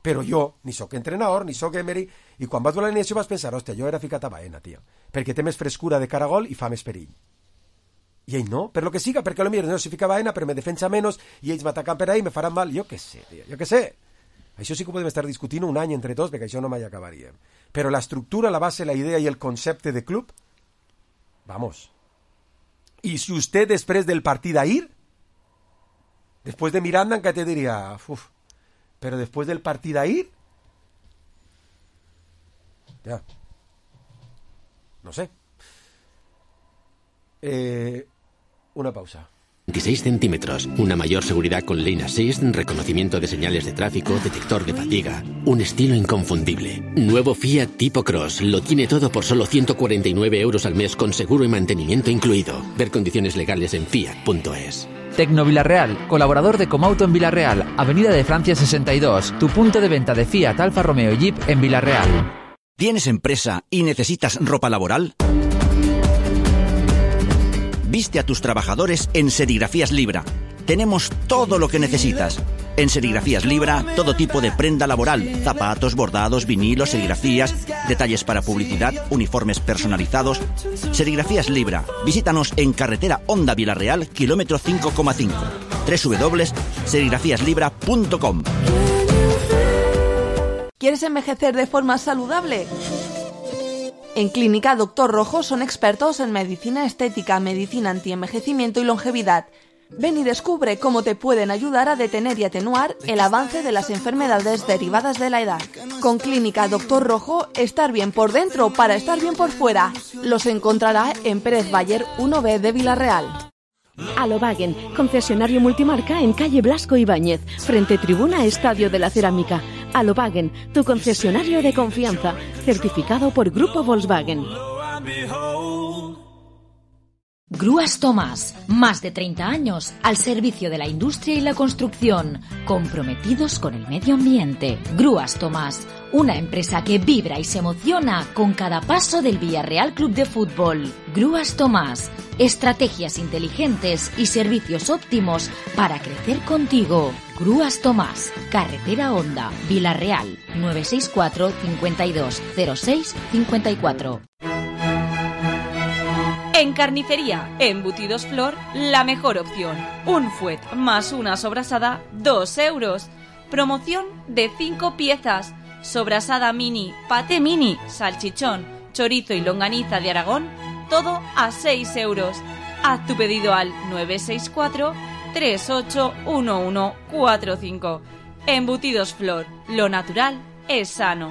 C: Però jo ni sóc entrenador, ni sóc Emery, i quan vaig veure l'animació vaig pensar, hòstia, jo era ficat a Baena, tio, perquè té més frescura de cara a gol i fa més perill. I ell no, per lo que siga, perquè potser no se fica a Baena, però me defensa menys, i ells m'ataquen per ahí, me faran mal, jo què sé, tio, jo què sé. Això sí que podem estar discutint un any entre tots, perquè això no mai acabaríem. Però la estructura, la base, la idea i el concepte de club, vamos. I si usted després del partit d'ahir, després de Miranda, encara te diria, uf, pero después del partido a ir, ya, no sé. Una pausa.
H: 26 centímetros, una mayor seguridad con Lane Assist, reconocimiento de señales de tráfico, detector de fatiga, un estilo inconfundible. Nuevo Fiat Tipo Cross, lo tiene todo por solo 149 euros al mes con seguro y mantenimiento incluido. Ver condiciones legales en fiat.es.
I: Tecno Villarreal, colaborador de Comauto en Villarreal, Avenida de Francia 62, tu punto de venta de Fiat, Alfa Romeo y Jeep en Villarreal.
J: ¿Tienes empresa y necesitas ropa laboral? Viste a tus trabajadores en Serigrafías Libra. Tenemos todo lo que necesitas. En Serigrafías Libra, todo tipo de prenda laboral, zapatos, bordados, vinilos, serigrafías, detalles para publicidad, uniformes personalizados. Serigrafías Libra. Visítanos en carretera Honda Villarreal, kilómetro 5,5. www.serigrafíaslibra.com.
K: ¿Quieres envejecer de forma saludable? En Clínica Dr. Rojo son expertos en medicina estética, medicina antienvejecimiento y longevidad. Ven y descubre cómo te pueden ayudar a detener y atenuar el avance de las enfermedades derivadas de la edad. Con Clínica Dr. Rojo, estar bien por dentro para estar bien por fuera. Los encontrará en Pérez Bayer 1B de Villarreal.
L: Alobagen, concesionario multimarca en calle Blasco Ibáñez, frente tribuna Estadio de la Cerámica. Alobagen, tu concesionario de confianza, certificado por Grupo Volkswagen.
M: Grúas Tomás, más de 30 años al servicio de la industria y la construcción, comprometidos con el medio ambiente. Grúas Tomás, una empresa que vibra y se emociona con cada paso del Villarreal Club de Fútbol. Grúas Tomás, estrategias inteligentes y servicios óptimos para crecer contigo. Grúas Tomás, carretera Honda, Villarreal, 964 52 06 54.
N: En carnicería, embutidos Flor, la mejor opción. Un fuet más una sobrasada, 2 euros. Promoción de 5 piezas. Sobrasada mini, paté mini, salchichón, chorizo y longaniza de Aragón, todo a 6 euros. Haz tu pedido al 964 381145. Embutidos Flor, lo natural es sano.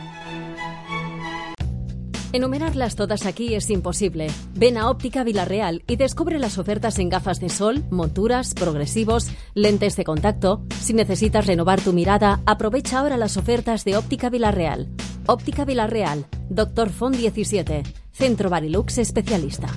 L: Enumerarlas todas aquí es imposible. Ven a Óptica Villarreal y descubre las ofertas en gafas de sol, monturas, progresivos, lentes de contacto. Si necesitas renovar tu mirada, aprovecha ahora las ofertas de Óptica Villarreal. Óptica Villarreal, Dr. Font 17, Centro Barilux Especialista.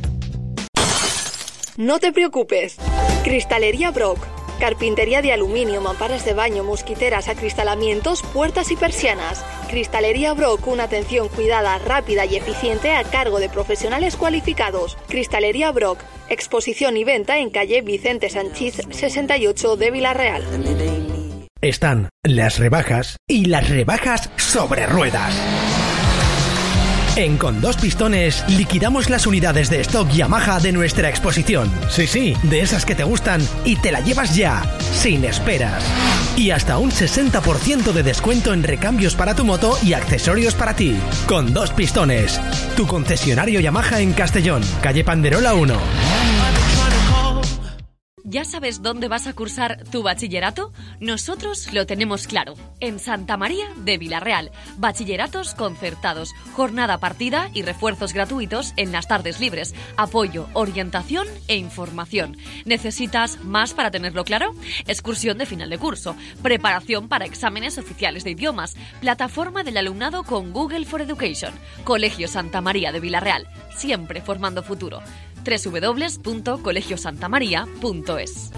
O: No te preocupes. Cristalería Brock. Carpintería de aluminio, mamparas de baño, mosquiteras, acristalamientos, puertas y persianas. Cristalería Brock, una atención cuidada, rápida y eficiente a cargo de profesionales cualificados. Cristalería Brock, exposición y venta en calle Vicente Sanchís 68 de Villarreal.
P: Están las rebajas y las rebajas sobre ruedas. En Con Dos Pistones liquidamos las unidades de stock Yamaha de nuestra exposición. Sí, de esas que te gustan y te la llevas ya, sin esperas. Y hasta un 60% de descuento en recambios para tu moto y accesorios para ti. Con Dos Pistones, tu concesionario Yamaha en Castellón, calle Panderola 1.
Q: ¿Ya sabes dónde vas a cursar tu bachillerato? Nosotros lo tenemos claro. En Santa María de Villarreal. Bachilleratos concertados, jornada partida y refuerzos gratuitos en las tardes libres. Apoyo, orientación e información. ¿Necesitas más para tenerlo claro? Excursión de final de curso. Preparación para exámenes oficiales de idiomas. Plataforma del alumnado con Google for Education. Colegio Santa María de Villarreal. Siempre formando futuro. www.colegiosantamaria.es.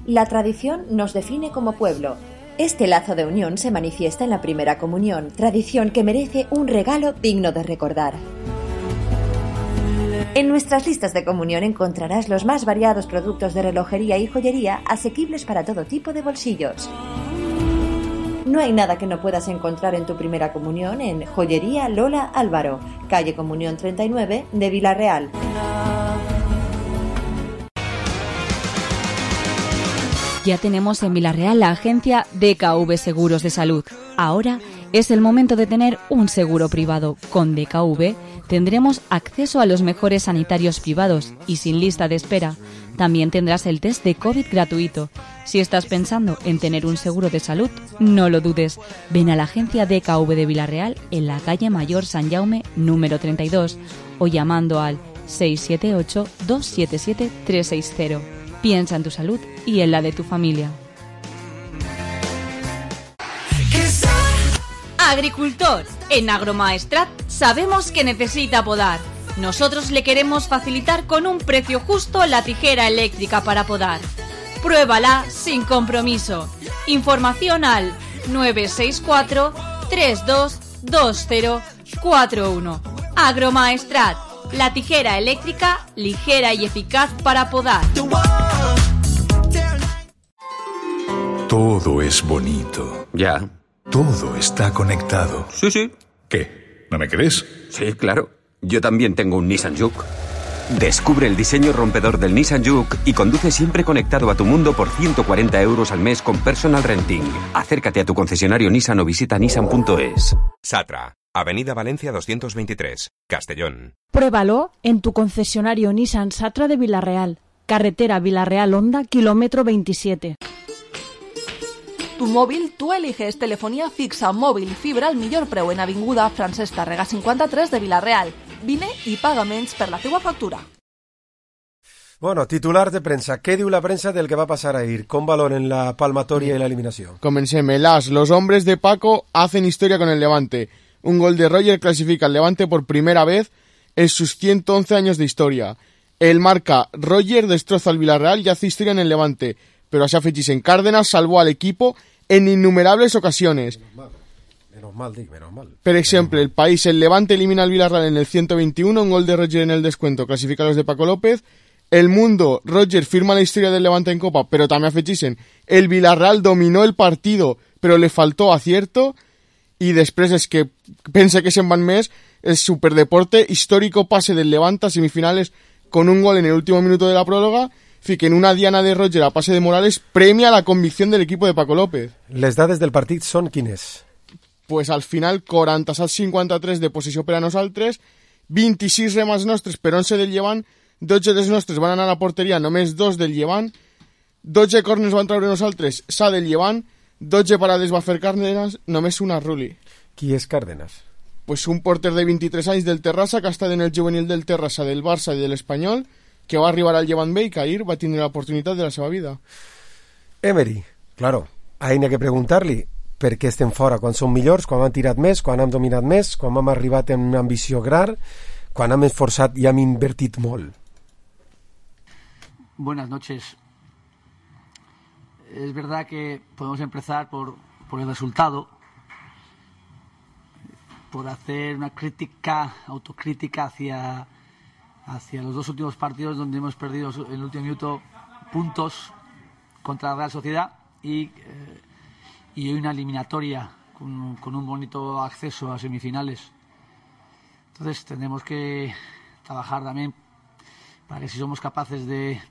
R: La tradición nos define como pueblo. Este lazo de unión se manifiesta en la primera comunión, tradición que merece un regalo digno de recordar. En nuestras listas de comunión encontrarás los más variados productos de relojería y joyería asequibles para todo tipo de bolsillos. No hay nada que no puedas encontrar en tu primera comunión en Joyería Lola Álvaro, calle Comunión 39 de Villarreal.
N: Ya tenemos en Villarreal la agencia DKV Seguros de Salud. Ahora es el momento de tener un seguro privado. Con DKV tendremos acceso a los mejores sanitarios privados y sin lista de espera. También tendrás el test de COVID gratuito. Si estás pensando en tener un seguro de salud, no lo dudes. Ven a la agencia DKV de Villarreal en la calle Mayor San Jaume número 32 o llamando al 678-277-360. Piensa en tu salud y en la de tu familia. Agricultor, en Agromaestrat sabemos que necesita podar. Nosotros le queremos facilitar con un precio justo la tijera eléctrica para podar. Pruébala sin compromiso. Información al 964-322041. Agromaestrat, la tijera eléctrica ligera y eficaz para podar.
S: Todo es bonito.
T: Ya.
S: Todo está conectado.
T: Sí.
S: ¿Qué? ¿No me crees?
T: Sí, claro. Yo también tengo un Nissan Juke. Descubre el diseño rompedor del Nissan Juke y conduce siempre conectado a tu mundo por 140 € al mes con personal renting. Acércate a tu concesionario Nissan o visita nissan.es.
U: Satra, Avenida Valencia 223, Castellón.
V: Pruébalo en tu concesionario Nissan Satra de Villarreal. Carretera Villarreal-Onda, kilómetro 27.
K: Tu mòbil, tu eliges telefonía fixa, mòbil i fibra al millor preu en Avinguda Francesc Tàrrega 53 de Villarreal. Vine i paga menys per la teua factura.
C: Bueno, titular de prensa. ¿Qué diu la prensa del que va a pasar ahir? ¿Con valor en la palmatoria y la eliminación?
F: Comencemos. Los hombres de Paco hacen historia con el Levante. Un gol de Roger clasifica al Levante por primera vez en sus 111 años de historia. El marca Roger destroza al Villarreal y hace historia en el Levante. Pero así afegís en Cárdenas salvó al equipo en innumerables ocasiones.
C: Menos mal.
F: Per ejemplo, el país, el Levante elimina al Villarreal en el 121, un gol de Roger en el descuento, clasifica a los de Paco López. El Mundo, Roger firma la historia del Levante en Copa, pero también afegisen, el Villarreal dominó el partido, pero le faltó acierto. Y después es que pensé que se'n van més, el superdeporte, histórico pase del Levante a semifinales con un gol en el último minuto de la próloga. Que en una diana de Roger a pase de Morales premia la convicción del equipo de Paco López.
C: Les dades del partit són quines?
F: Pues al final 47-53 de posició per a nosaltres, 26 remas nostres per 11 del Llevant, 12 dels nostres van anar a la porteria, només 2 del Llevant, 12 corners van treure nosaltres, sa del Llevant, 12 parades va fer Cárdenas, només una Ruli.
C: Qui és Cárdenas?
F: Pues un porter de 23 anys del Terrassa, que ha estat en el juvenil del Terrassa, del Barça i de l'Espanyol, que va arribar al Llevant B i que ahir va tindre l'oportunitat de la seva vida.
C: Emery, claro, ahir n'hi ha que preguntar-li per què estem fora, quan som millors, quan hem tirat més, quan hem dominat més, quan hem arribat amb una ambició gran, quan hem esforçat i hem invertit molt.
W: Buenas noches. Es verdad que podemos empezar por el resultado, por hacer una autocrítica hacia los dos últimos partidos donde hemos perdido en el último minuto puntos contra la Real Sociedad y hoy una eliminatoria con un bonito acceso a semifinales. Entonces tendremos que trabajar también para que si somos capaces de,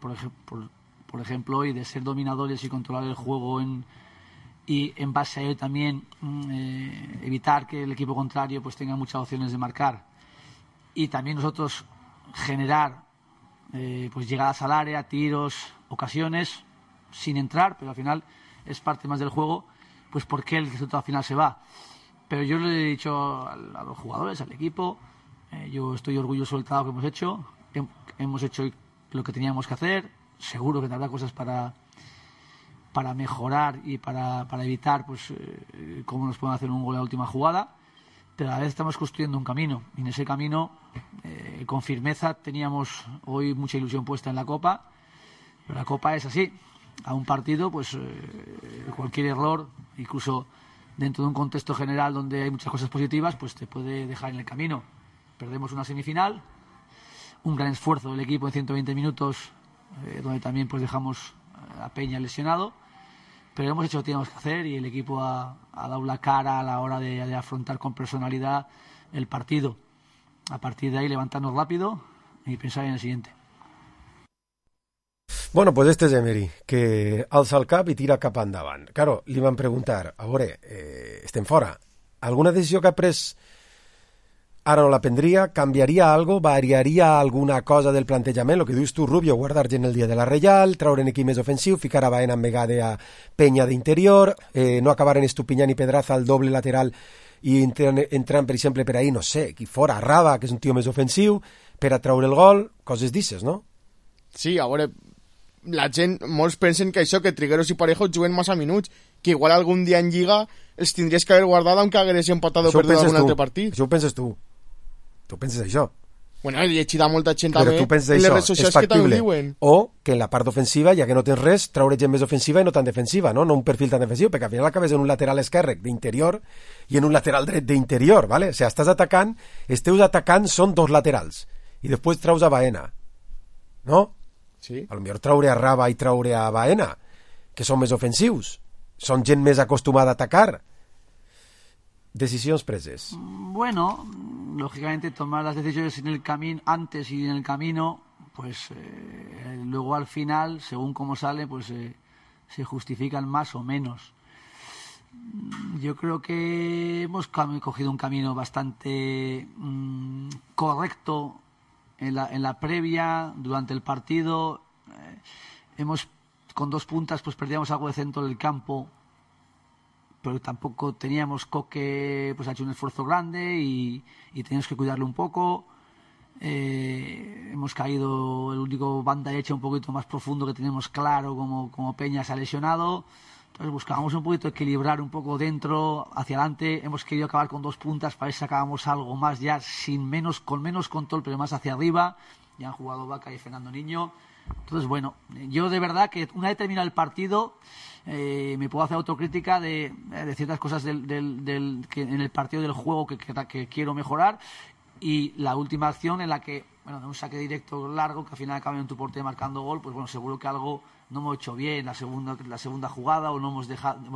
W: por ejemplo hoy, de ser dominadores y controlar el juego y en base a ello también evitar que el equipo contrario pues tenga muchas opciones de marcar y también nosotros generar pues llegadas al área, tiros, ocasiones sin entrar, pero al final es parte más del juego, pues porque el resultado al final se va. Pero yo le he dicho a los jugadores, al equipo, yo estoy orgulloso del trabajo que hemos hecho, hemos hecho lo que teníamos que hacer, seguro que habrá cosas para mejorar y para evitar pues cómo nos pueden hacer un gol en la última jugada, pero a la vez estamos construyendo un camino y en ese camino con firmeza teníamos hoy mucha ilusión puesta en la Copa, pero la Copa es así, a un partido pues cualquier error, incluso dentro de un contexto general donde hay muchas cosas positivas, pues te puede dejar en el camino. Perdemos una semifinal, un gran esfuerzo del equipo en 120 minutos donde también pues dejamos a Peña lesionado, pero hemos hecho lo que teníamos que hacer y el equipo ha ha dado la cara a la hora de afrontar con personalidad el partido. A partir de ahí levantarnos rápido y pensar en el siguiente.
C: Bueno, pues este és Emery, que alça el cap i tira cap endavant. Claro, li van preguntar, a veure, estem fora. Alguna decisió que ha pres ara no la prendria? Canviaria algo? Variaria alguna cosa del plantejament? El que dius tu, Rubio, guardar gent el dia de la Reial, traure en equip més ofensiu, ficar a Baena en vegada a Peña d'interior, no acabar en Estupiñán i Pedraza al doble lateral i entrant, per exemple, per ahir, no sé, aquí fora, Raba, que és un tio més ofensiu, per a traure el gol, coses d'ixes, no?
F: Sí, a veure, la gent, molts pensen que això, que Trigueros i Parejo juguen massa minuts, que igual algun dia en Lliga els tindries que haver guardat aunque hagués empatat o perdut algun altre partit.
C: Això ho penses tu. Tu penses això.
F: Bueno, he llegit a molta gent
C: però
F: també
C: tu penses
F: en les
C: això,
F: redes socials que també diuen.
C: O que en la part ofensiva, ja que no tens res, traure gent més ofensiva i no tan defensiva, no un perfil tan defensiu, perquè al final acabes en un lateral esquerre d'interior i en un lateral dret d'interior, ¿vale? O sigui, estàs atacant, els teus atacants són dos laterals i després traus a Baena, no?
F: Sí.
C: A lo millor traure a Raba i traure a Baena, que són més ofensius, són gent més acostumada a atacar. Decisiones preses.
W: Bueno, lógicamente tomar las decisiones en el camino antes y en el camino, pues luego al final, según cómo sale, pues se justifican más o menos. Yo creo que hemos cogido un camino bastante correcto en la previa, durante el partido. Hemos con 2 puntas pues perdíamos algo de centro del campo, pero tampoco teníamos. Coque pues ha hecho un esfuerzo grande y teníamos que cuidarlo un poco. Hemos caído, el único banda derecha un poquito más profundo que tenemos claro, como Peña se ha lesionado. Entonces buscábamos un poquito equilibrar un poco dentro, hacia adelante. Hemos querido acabar con 2 puntas para ver si sacábamos algo más ya con menos control, pero más hacia arriba. Ya han jugado Vaca y Fernando Niño. Entonces, bueno, yo de verdad que una vez terminado el partido me puedo hacer autocrítica de ciertas cosas que en el partido del juego que quiero mejorar. Y la última acción en la que, bueno, de un saque directo largo, que al final acaba en tu portería marcando gol, pues bueno, seguro que algo no hemos hecho bien la segunda jugada, o no hemos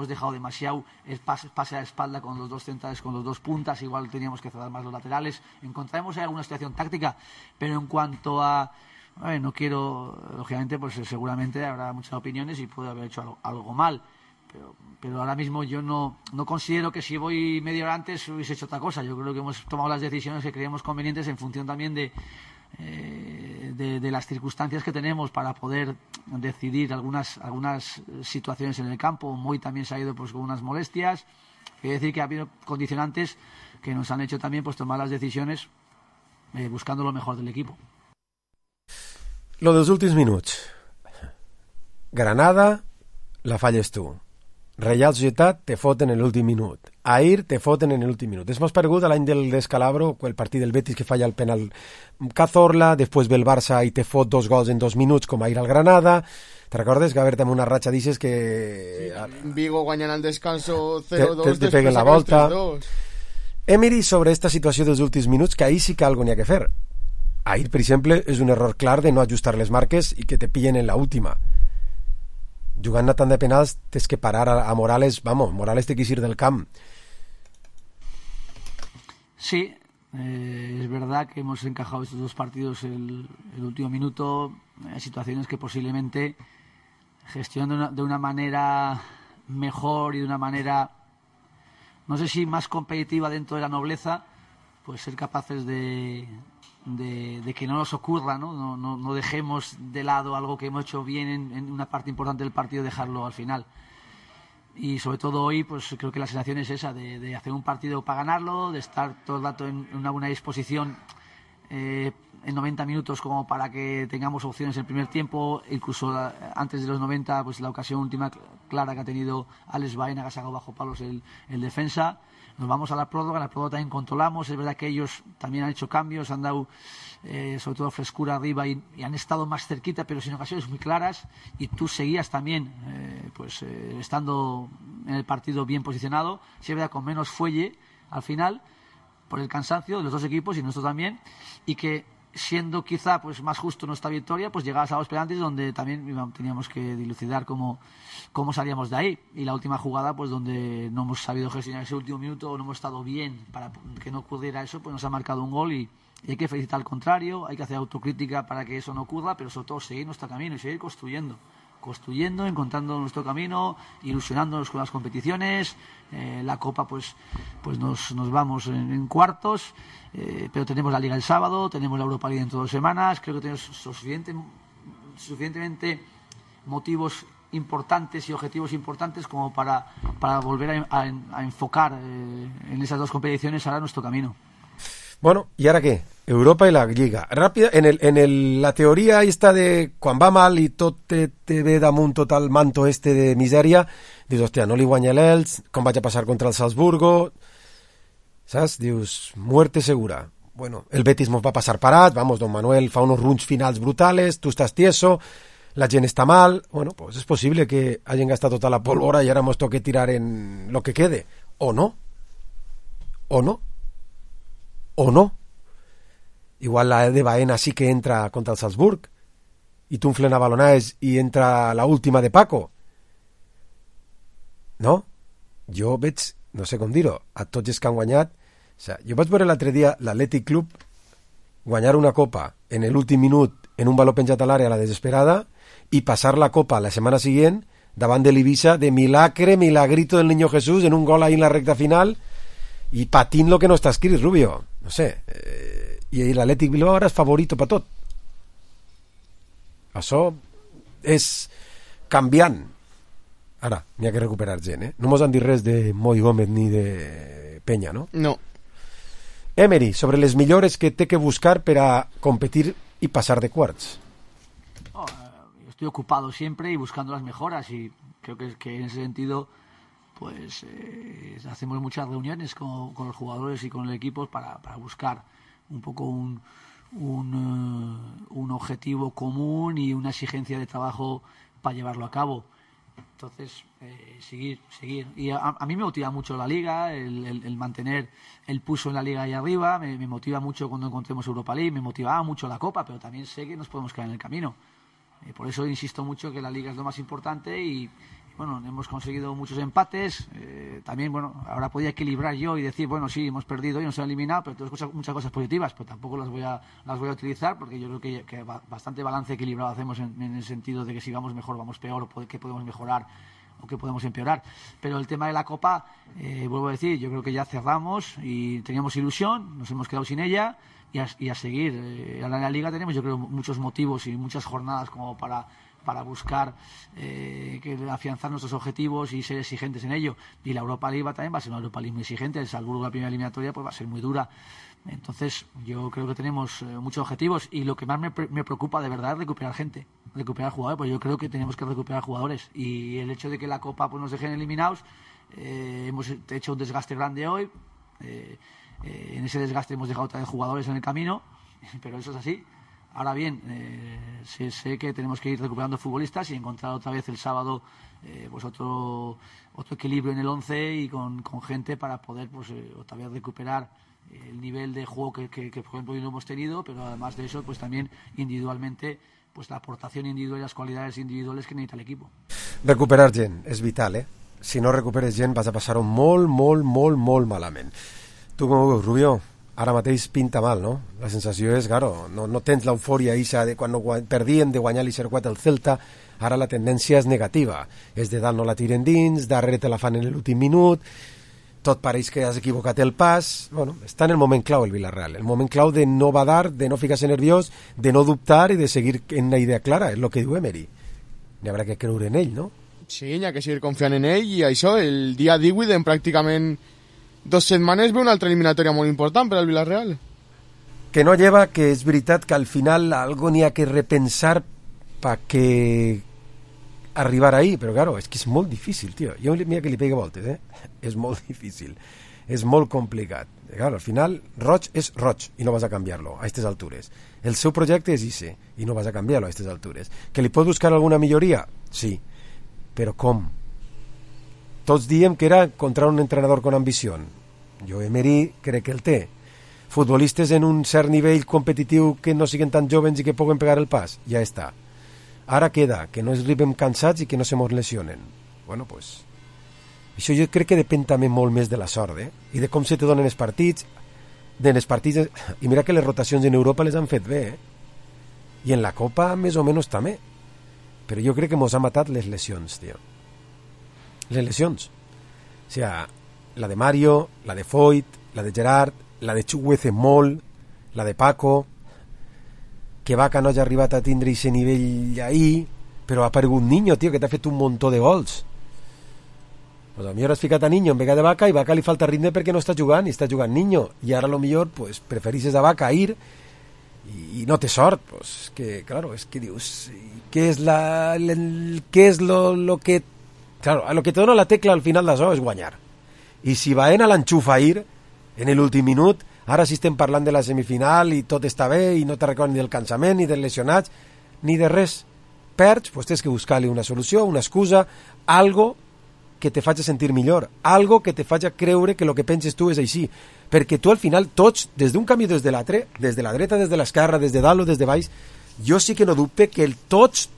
W: dejado demasiado el pase a la espalda con los 2 centrales, con los 2 puntas. Igual teníamos que cerrar más los laterales. Encontraremos ahí alguna situación táctica, pero en cuanto a no quiero, lógicamente, pues seguramente habrá muchas opiniones y puedo haber hecho algo mal, pero ahora mismo yo no considero que si voy media hora antes hubiese hecho otra cosa. Yo creo que hemos tomado las decisiones que creemos convenientes en función también de las circunstancias que tenemos para poder decidir algunas situaciones en el campo. Moy también se ha ido pues con unas molestias. Quiere decir que ha habido condicionantes que nos han hecho también pues tomar las decisiones buscando lo mejor del equipo.
C: Lo dels últims minuts. Granada, la falles tu. Reial Societat te foten en l'últim minut. Ahir te foten en l'últim minut. És més paregut a l'any del Descalabro, el partit del Betis que falla el penal Cazorla, després ve el Barça i te fot 2 gols en 2 minuts, com ahir al Granada. Te recordes que haver-te amb una ratxa d'ixes que...
F: Sí, Vigo guanyant al descanso 0-2,
C: te peguen la volta. Emery sobre esta situació dels últims minuts, que ahir sí que algo n'hi ha que fer. Ahir, per exemple, és un error clar de no ajustar les marques i que te pillen en la última. Jugant a tant de penals tens que parar a Morales. Vamos, Morales té que ir del camp.
W: Sí, es verdad que hemos encajado estos 2 partidos el último minuto. Situaciones que posiblemente gestionando de una manera mejor y de una manera, no sé si más competitiva dentro de la nobleza, pues ser capaces de que no nos ocurra, no dejemos de lado algo que hemos hecho bien en una parte importante del partido, dejarlo al final. Y sobre todo hoy, pues creo que la sensación es esa, de hacer un partido para ganarlo, de estar todo el rato en una buena disposición en 90 minutos como para que tengamos opciones en el primer tiempo. Incluso antes de los 90, pues la ocasión última clara que ha tenido Alex Baena, que ha sacado bajo palos el defensa. Nos vamos a la prórroga también controlamos. Es verdad que ellos también han hecho cambios, han dado sobre todo frescura arriba y han estado más cerquita, pero sin ocasiones muy claras. Y tú seguías también estando en el partido bien posicionado, sí, es verdad, con menos fuelle al final, por el cansancio de los 2 equipos y nuestro también. Y que siendo quizá pues más justo nuestra victoria, pues llegar a los penaltis, donde también teníamos que dilucidar cómo salíamos de ahí. Y la última jugada, pues donde no hemos sabido gestionar ese último minuto, o no hemos estado bien para que no ocurriera eso, pues nos ha marcado un gol y hay que felicitar al contrario, hay que hacer autocrítica para que eso no ocurra, pero sobre todo seguir nuestro camino y seguir construyendo, encontrando nuestro camino, ilusionándonos con las competiciones. La Copa pues nos vamos en cuartos, pero tenemos la Liga el sábado, tenemos la Europa League dentro de 2 semanas. Creo que tenemos suficientemente motivos importantes y objetivos importantes como para volver a enfocar en esas 2 competiciones ahora nuestro camino.
C: Bueno, ¿y ahora qué? Europa y la Lliga. Rápida, la teoría esta de quan va mal i tot te ve damunt tot el manto este de misèria, dius, hòstia, no li guanya l'Elx, com vaig a passar contra el Salzburgo, saps? Dius, muerte segura. Bueno, el Betis mos va passar parat, vamos, don Manuel fa unos runs finals brutales, tu estàs tieso, la gent està mal, bueno, pues és possible que hagin gastat tota la pólvora i ara mos toque tirar en lo que quede, o no. Igual la de Baena sí que entra contra el Salzburg i t'unflen a balonades i entra la última de Paco. No? Jo veig, no sé com dir-ho, a tots els que han guanyat. O sea, jo vaig veure l'altre dia l'Atlètic Club guanyar una copa en l'últim minut en un baló penjat a l'àrea a la desesperada i passar la copa la setmana següent davant de l'Ibiza de milagrito del Niño Jesús en un gol ahí en la recta final i patint lo que no està escrit, Rubio. No sé, i l'Atlètic Bilbao ara és favorito per tot. Això és canviant. Ara, n'hi ha que recuperar gent, No mos han dit res de Moi Gómez ni de Peña, ¿no?
F: No.
C: Emery, sobre les millores que té que buscar per a competir y pasar de quarts.
W: Estoy ocupado siempre y buscando las mejoras, y creo que en ese sentido pues hacemos muchas reuniones con los jugadores y con el equipo para buscar un poco un objetivo común y una exigencia de trabajo para llevarlo a cabo. Entonces, seguir. Y a mí me motiva mucho la Liga, el mantener el pulso en la Liga ahí arriba, me motiva mucho cuando encontremos Europa League, me motivaba mucho la Copa, pero también sé que nos podemos quedar en el camino. Por eso insisto mucho que la Liga es lo más importante y bueno, hemos conseguido muchos empates. También, bueno, ahora podía equilibrar yo y decir, bueno, sí, hemos perdido y nos han eliminado, pero tenemos muchas cosas positivas, pero tampoco las voy a utilizar, porque yo creo que bastante balance equilibrado hacemos en el sentido de que si vamos mejor, vamos peor, o qué podemos mejorar o qué podemos empeorar. Pero el tema de la Copa, vuelvo a decir, yo creo que ya cerramos y teníamos ilusión, nos hemos quedado sin ella y a seguir. Ahora en la Liga tenemos, yo creo, muchos motivos y muchas jornadas como para buscar afianzar nuestros objetivos y ser exigentes en ello. Y la Europa League también va a ser una Europa League muy exigente. El Salzburgo, la primera eliminatoria, pues va a ser muy dura. Entonces yo creo que tenemos muchos objetivos y lo que más me preocupa de verdad es recuperar gente, recuperar jugadores, pues yo creo que tenemos que recuperar jugadores, y el hecho de que la Copa pues nos dejen eliminados, hemos hecho un desgaste grande hoy, en ese desgaste hemos dejado otra vez jugadores en el camino, pero eso es así. Ahora bien, sé que tenemos que ir recuperando futbolistas y encontrar otra vez el sábado pues otro equilibrio en el 11 y con gente para poder pues otra vez recuperar el nivel de juego que por ejemplo hoy no hemos tenido, pero además de eso pues también individualmente pues la aportación individual y las cualidades individuales que necesita el equipo.
C: Recuperar gent és vital, Si no recuperes gent vas a passar-ho molt malament. Tu com ho veus, Rubio? Ara mateix pinta mal, no? La sensació és, claro, no tens l'eufòria ixa de quan perdien de guanyar l'0-4 al Celta, ara la tendència és negativa. És de dalt no la tiren dins, darrere te la fan en l'últim minut, tot pareix que has equivocat el pas. Bueno, està en el moment clau el Villarreal, el moment clau de no badar, de no ficar-se nerviós, de no dubtar i de seguir en una idea clara, és el que diu Emery. N'hi haurà que creure en ell, no?
F: Sí, n'hi ha que seguir confiant en ell, i això, el dia 18, en pràcticament 2 setmanes, ve una altra eliminatòria molt important per al Villarreal.
C: Que no lleva, que és veritat que al final algo n'hi ha que repensar pa que arribar ahí, però claro, és que és molt difícil, tio. Jo mira que li pegue voltes, És molt difícil, és molt complicat. Claro, al final, roig és roig i no vas a canviar-lo a aquestes altures. El seu projecte és ese i no vas a canviar-lo a aquestes altures. Que li pot buscar alguna milloria? Sí, però com? Tots diem que era contra un entrenador con ambició. Jo Emery crec que el té. futbolistes en un cert nivell competitiu que no siguin tan jovens i que puguen pegar el pas, ja està. Ara queda que no es arribem cansats i que no se mos lesionen. Bueno, pues, això jo crec que depèn també molt més de la sort, i de com se te donen els partits, i mira que les rotacions en Europa les han fet bé, i en la Copa més o menys també, però jo crec que mos ha matat les lesions, tio. Les lesions. O sea, la de Mario, la de Foyt, la de Gerard, la de Chukwueze molt, la de Paco, que Vaca no hagi arribat a tindre aquest nivell ahí, però ha aparegut Niño, tio, que t'ha fet un muntó de gols. Pues a lo millor has ficat a Niño en vez de Vaca, i Vaca li falta ritme perquè no està jugant, i està jugant Niño, i ara a lo millor pues, preferixes a Vaca ir y no te sort, pues que claro, es que dius, ¿qué es lo que, claro, a lo que te dona la tecla al final d'això és guanyar, i si Baena l'enxufa a ir en l'últim minut, ara si estem parlant de la semifinal i tot està bé i no te recordes ni del cansament, ni dels lesionats, ni de res, perds, pues tens que buscar-li una solució, una excusa, algo que te faci sentir millor, algo que te faci creure que el que penses tu és així, perquè tu al final tots, des d'un camí des de l'altre, des de la dreta, des de l'esquerra, des de dalt o des de baix, jo sí que no dubte que tots,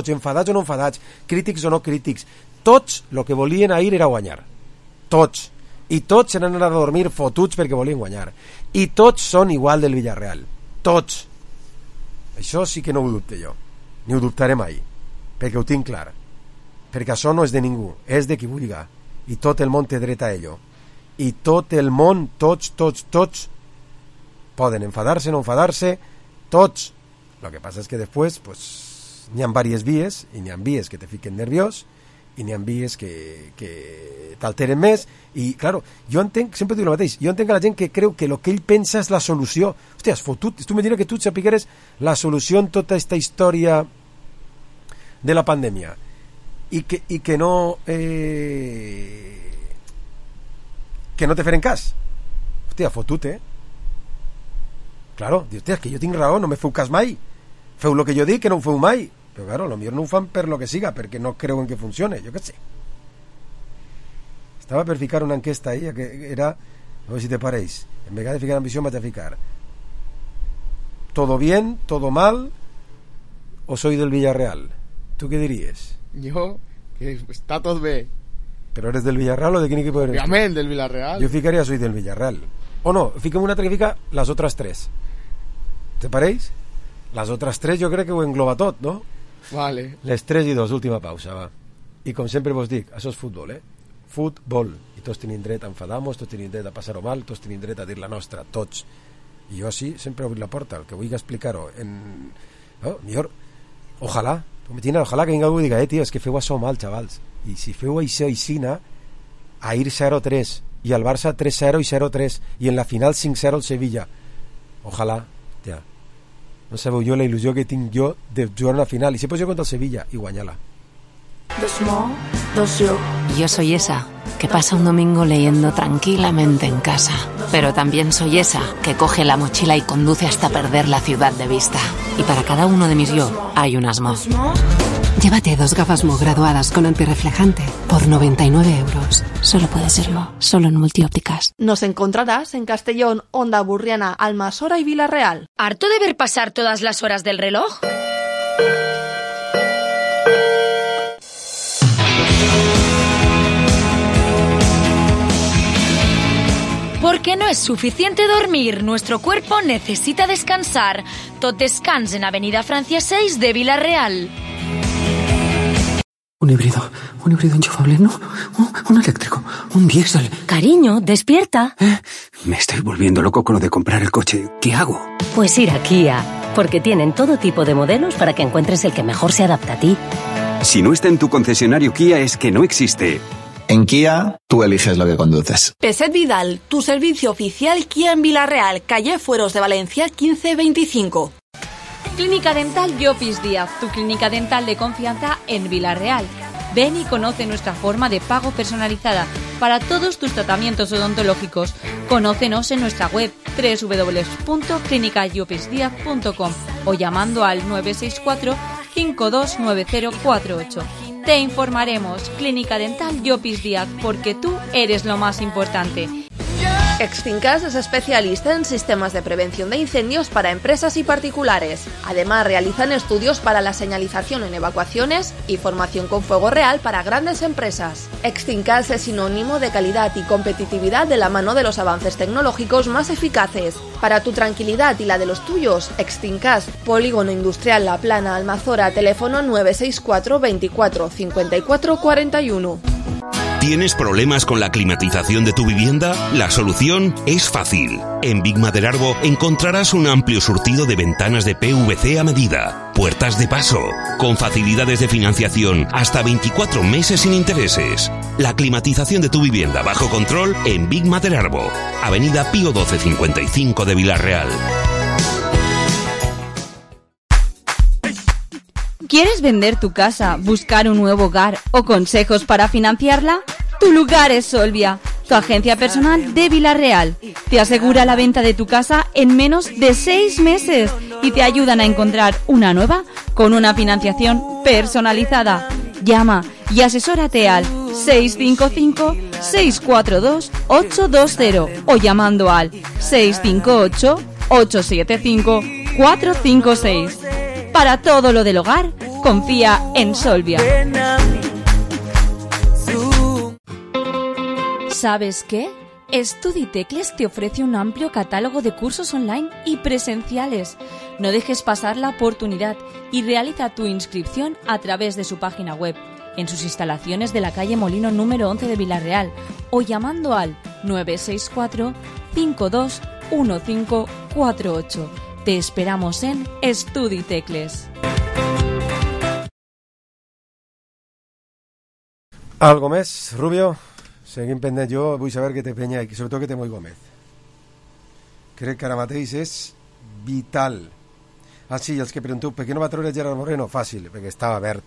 C: enfadats o no enfadats, crítics o no crítics, tots el que volien ahir era guanyar, tots, i tots se n'han anat a dormir fotuts perquè volien guanyar, i tots són igual del Villarreal, tots. Això sí que no ho dubte jo, ni ho dubtaré mai, perquè ho tinc clar, perquè això no és de ningú, és de qui vulgui, i tot el món té dret a ello, i tot el món, tots poden enfadar-se, no enfadar-se, tots. Lo que passa és que després pues, n'hi ha diverses vies, i n'hi ha vies que te fiquen nerviós, i n'hi ha vies que t'alteren més, i claro, jo entenc, sempre dic el mateix, jo entenc a la gent que creu que el que ell pensa és la solució. Hòstia, has fotut, tu m'imagines que tu sapigueres la solució en tota aquesta història de la pandèmia, i que no te feren cas. Hòstia, fotut, claro, dius, hòstia, és que jo tinc raó, no me feu cas mai, feu el que jo dic, que no ho feu mai. Però claro, potser no ho fan per lo que siga, perquè no creuen que funcione, jo què sé. Estava per ficar una enquesta ahí, que era, no sé si te pareix, en vez de ficar ambició vaig a ficar ¿todo bien, todo mal o soy del Villarreal? ¿Tú qué diries?
F: Jo, que està tot bé.
C: ¿Pero eres del Villarreal o de quin equipo eres?
F: Obviamente, del Villarreal.
C: Yo ficaría soy del Villarreal. O no, fiquem una altra que fica las otras tres. ¿Te pareix? Las otras tres jo crec que ho engloba tot, no?
F: Vale.
C: Les 3 i 2, última pausa, va. I com sempre vos dic, això és futbol, Futbol. I tots tenim dret a enfadar-nos, tots tenim dret a passar-ho mal, tots tenim dret a dir la nostra, tots. I jo sí, sempre obrir la porta, el que vull explicar-ho en... millor, ojalà, ojalà que ningú digui, tio, és que feu això mal, xavals. I si feu això aixina, a ir 0-3, i al Barça 3-0 i 0-3, i en la final 5-0 al Sevilla. Ojalà, tia. No sabeu jo la il·lusió que tinc jo de jugar a la final, i si pots jugar contra el Sevilla i guanyar-la.
A: Yo soy esa que pasa un domingo leyendo tranquilamente en casa, pero también soy esa que coge la mochila y conduce hasta perder la ciudad de vista. Y para cada uno de mis yo hay un Asmo. Llévate 2 gafas Mo graduadas con antirreflejante por 99 euros. Solo puede serlo, solo en Multiópticas.
K: Nos encontrarás en Castellón, Onda Burriana, Almasora y Villarreal.
M: ¿Harto de ver pasar todas las horas del reloj? Porque no es suficiente dormir, nuestro cuerpo necesita descansar. Tot Descans en Avenida Francia 6 de Villarreal.
D: Un híbrido enchufable, no, un eléctrico, un diésel.
M: Cariño, despierta.
D: Me estoy volviendo loco con lo de comprar el coche. ¿Qué hago?
G: Pues ir a Kia, porque tienen todo tipo de modelos para que encuentres el que mejor se adapta a ti.
T: Si no está en tu concesionario Kia es que no existe.
X: En Kia, tú eliges lo que conduces.
K: Peset Vidal, tu servicio oficial Kia en Villarreal, calle Fueros de Valencia 1525.
N: Clínica Dental Llopis Díaz, tu clínica dental de confianza en Villarreal. Ven y conoce nuestra forma de pago personalizada para todos tus tratamientos odontológicos. Conócenos en nuestra web www.clinicallopisdiaz.com o llamando al 964 529048. Te informaremos. Clínica Dental Llopis Díaz, porque tú eres lo más importante.
K: Extincas es especialista en sistemas de prevención de incendios para empresas y particulares. Además, realizan estudios para la señalización en evacuaciones y formación con fuego real para grandes empresas. Extincas es sinónimo de calidad y competitividad de la mano de los avances tecnológicos más eficaces. Para tu tranquilidad y la de los tuyos, Extincas, Polígono Industrial La Plana, Almazora, teléfono 964 24 54 41.
B: ¿Tienes problemas con la climatización de tu vivienda? La solución es fácil. En Big Maderarbo encontrarás un amplio surtido de ventanas de PVC a medida, puertas de paso, con facilidades de financiación hasta 24 meses sin intereses. La climatización de tu vivienda bajo control en Big Maderarbo, Avenida Pío 1255 de Vilarreal.
E: ¿Quieres vender tu casa, buscar un nuevo hogar o consejos para financiarla? Tu lugar es Solvia, tu agencia personal de Vilarreal. Te asegura la venta de tu casa en menos de 6 meses y te ayudan a encontrar una nueva con una financiación personalizada. Llama y asesórate al 655-642-820 o llamando al 658-875-456. Para todo lo del hogar, confía en Solvia. ¿Sabes qué? StudyTecles te ofrece un amplio catálogo de cursos online y presenciales. No dejes pasar la oportunidad y realiza tu inscripción a través de su página web, en sus instalaciones de la calle Molino número 11 de Vilarreal o llamando al 964 521548. Te esperamos en StudyTecles.
C: Algo més, Rubio? Seguim pendent. Jo vull saber què té Penya i sobretot què té Moi Gómez. Crec que ara mateix és vital. Ah, sí, els que pregunteu per què no va treure Gerard Moreno? Fàcil, perquè estava verd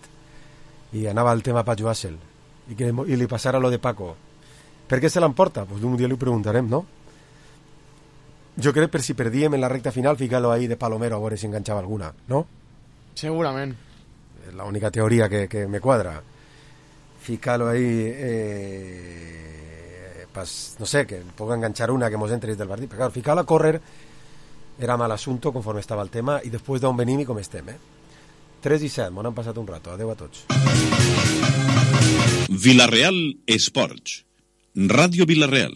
C: i anava el tema Pacho Hassel i li passara lo de Paco. Per què se l'emporta? Pues un dia li ho preguntarem, no? Jo crec per si perdíem en la recta final, ficar-lo ahí de Palomero a veure si enganxava alguna, no?
F: Segurament.
C: És l'única teoria que me quadra. Ficar-lo ahí, pues, no sé, que pueda enganchar una que mos entre des del partit. Però, claro, ficar-la a córrer era mal assunto conforme estava el tema i després d'on venim i com estem, 3:07, m'ho han passat un rato. Adeu a tots.
H: Vilarreal Esports. Ràdio Vilarreal.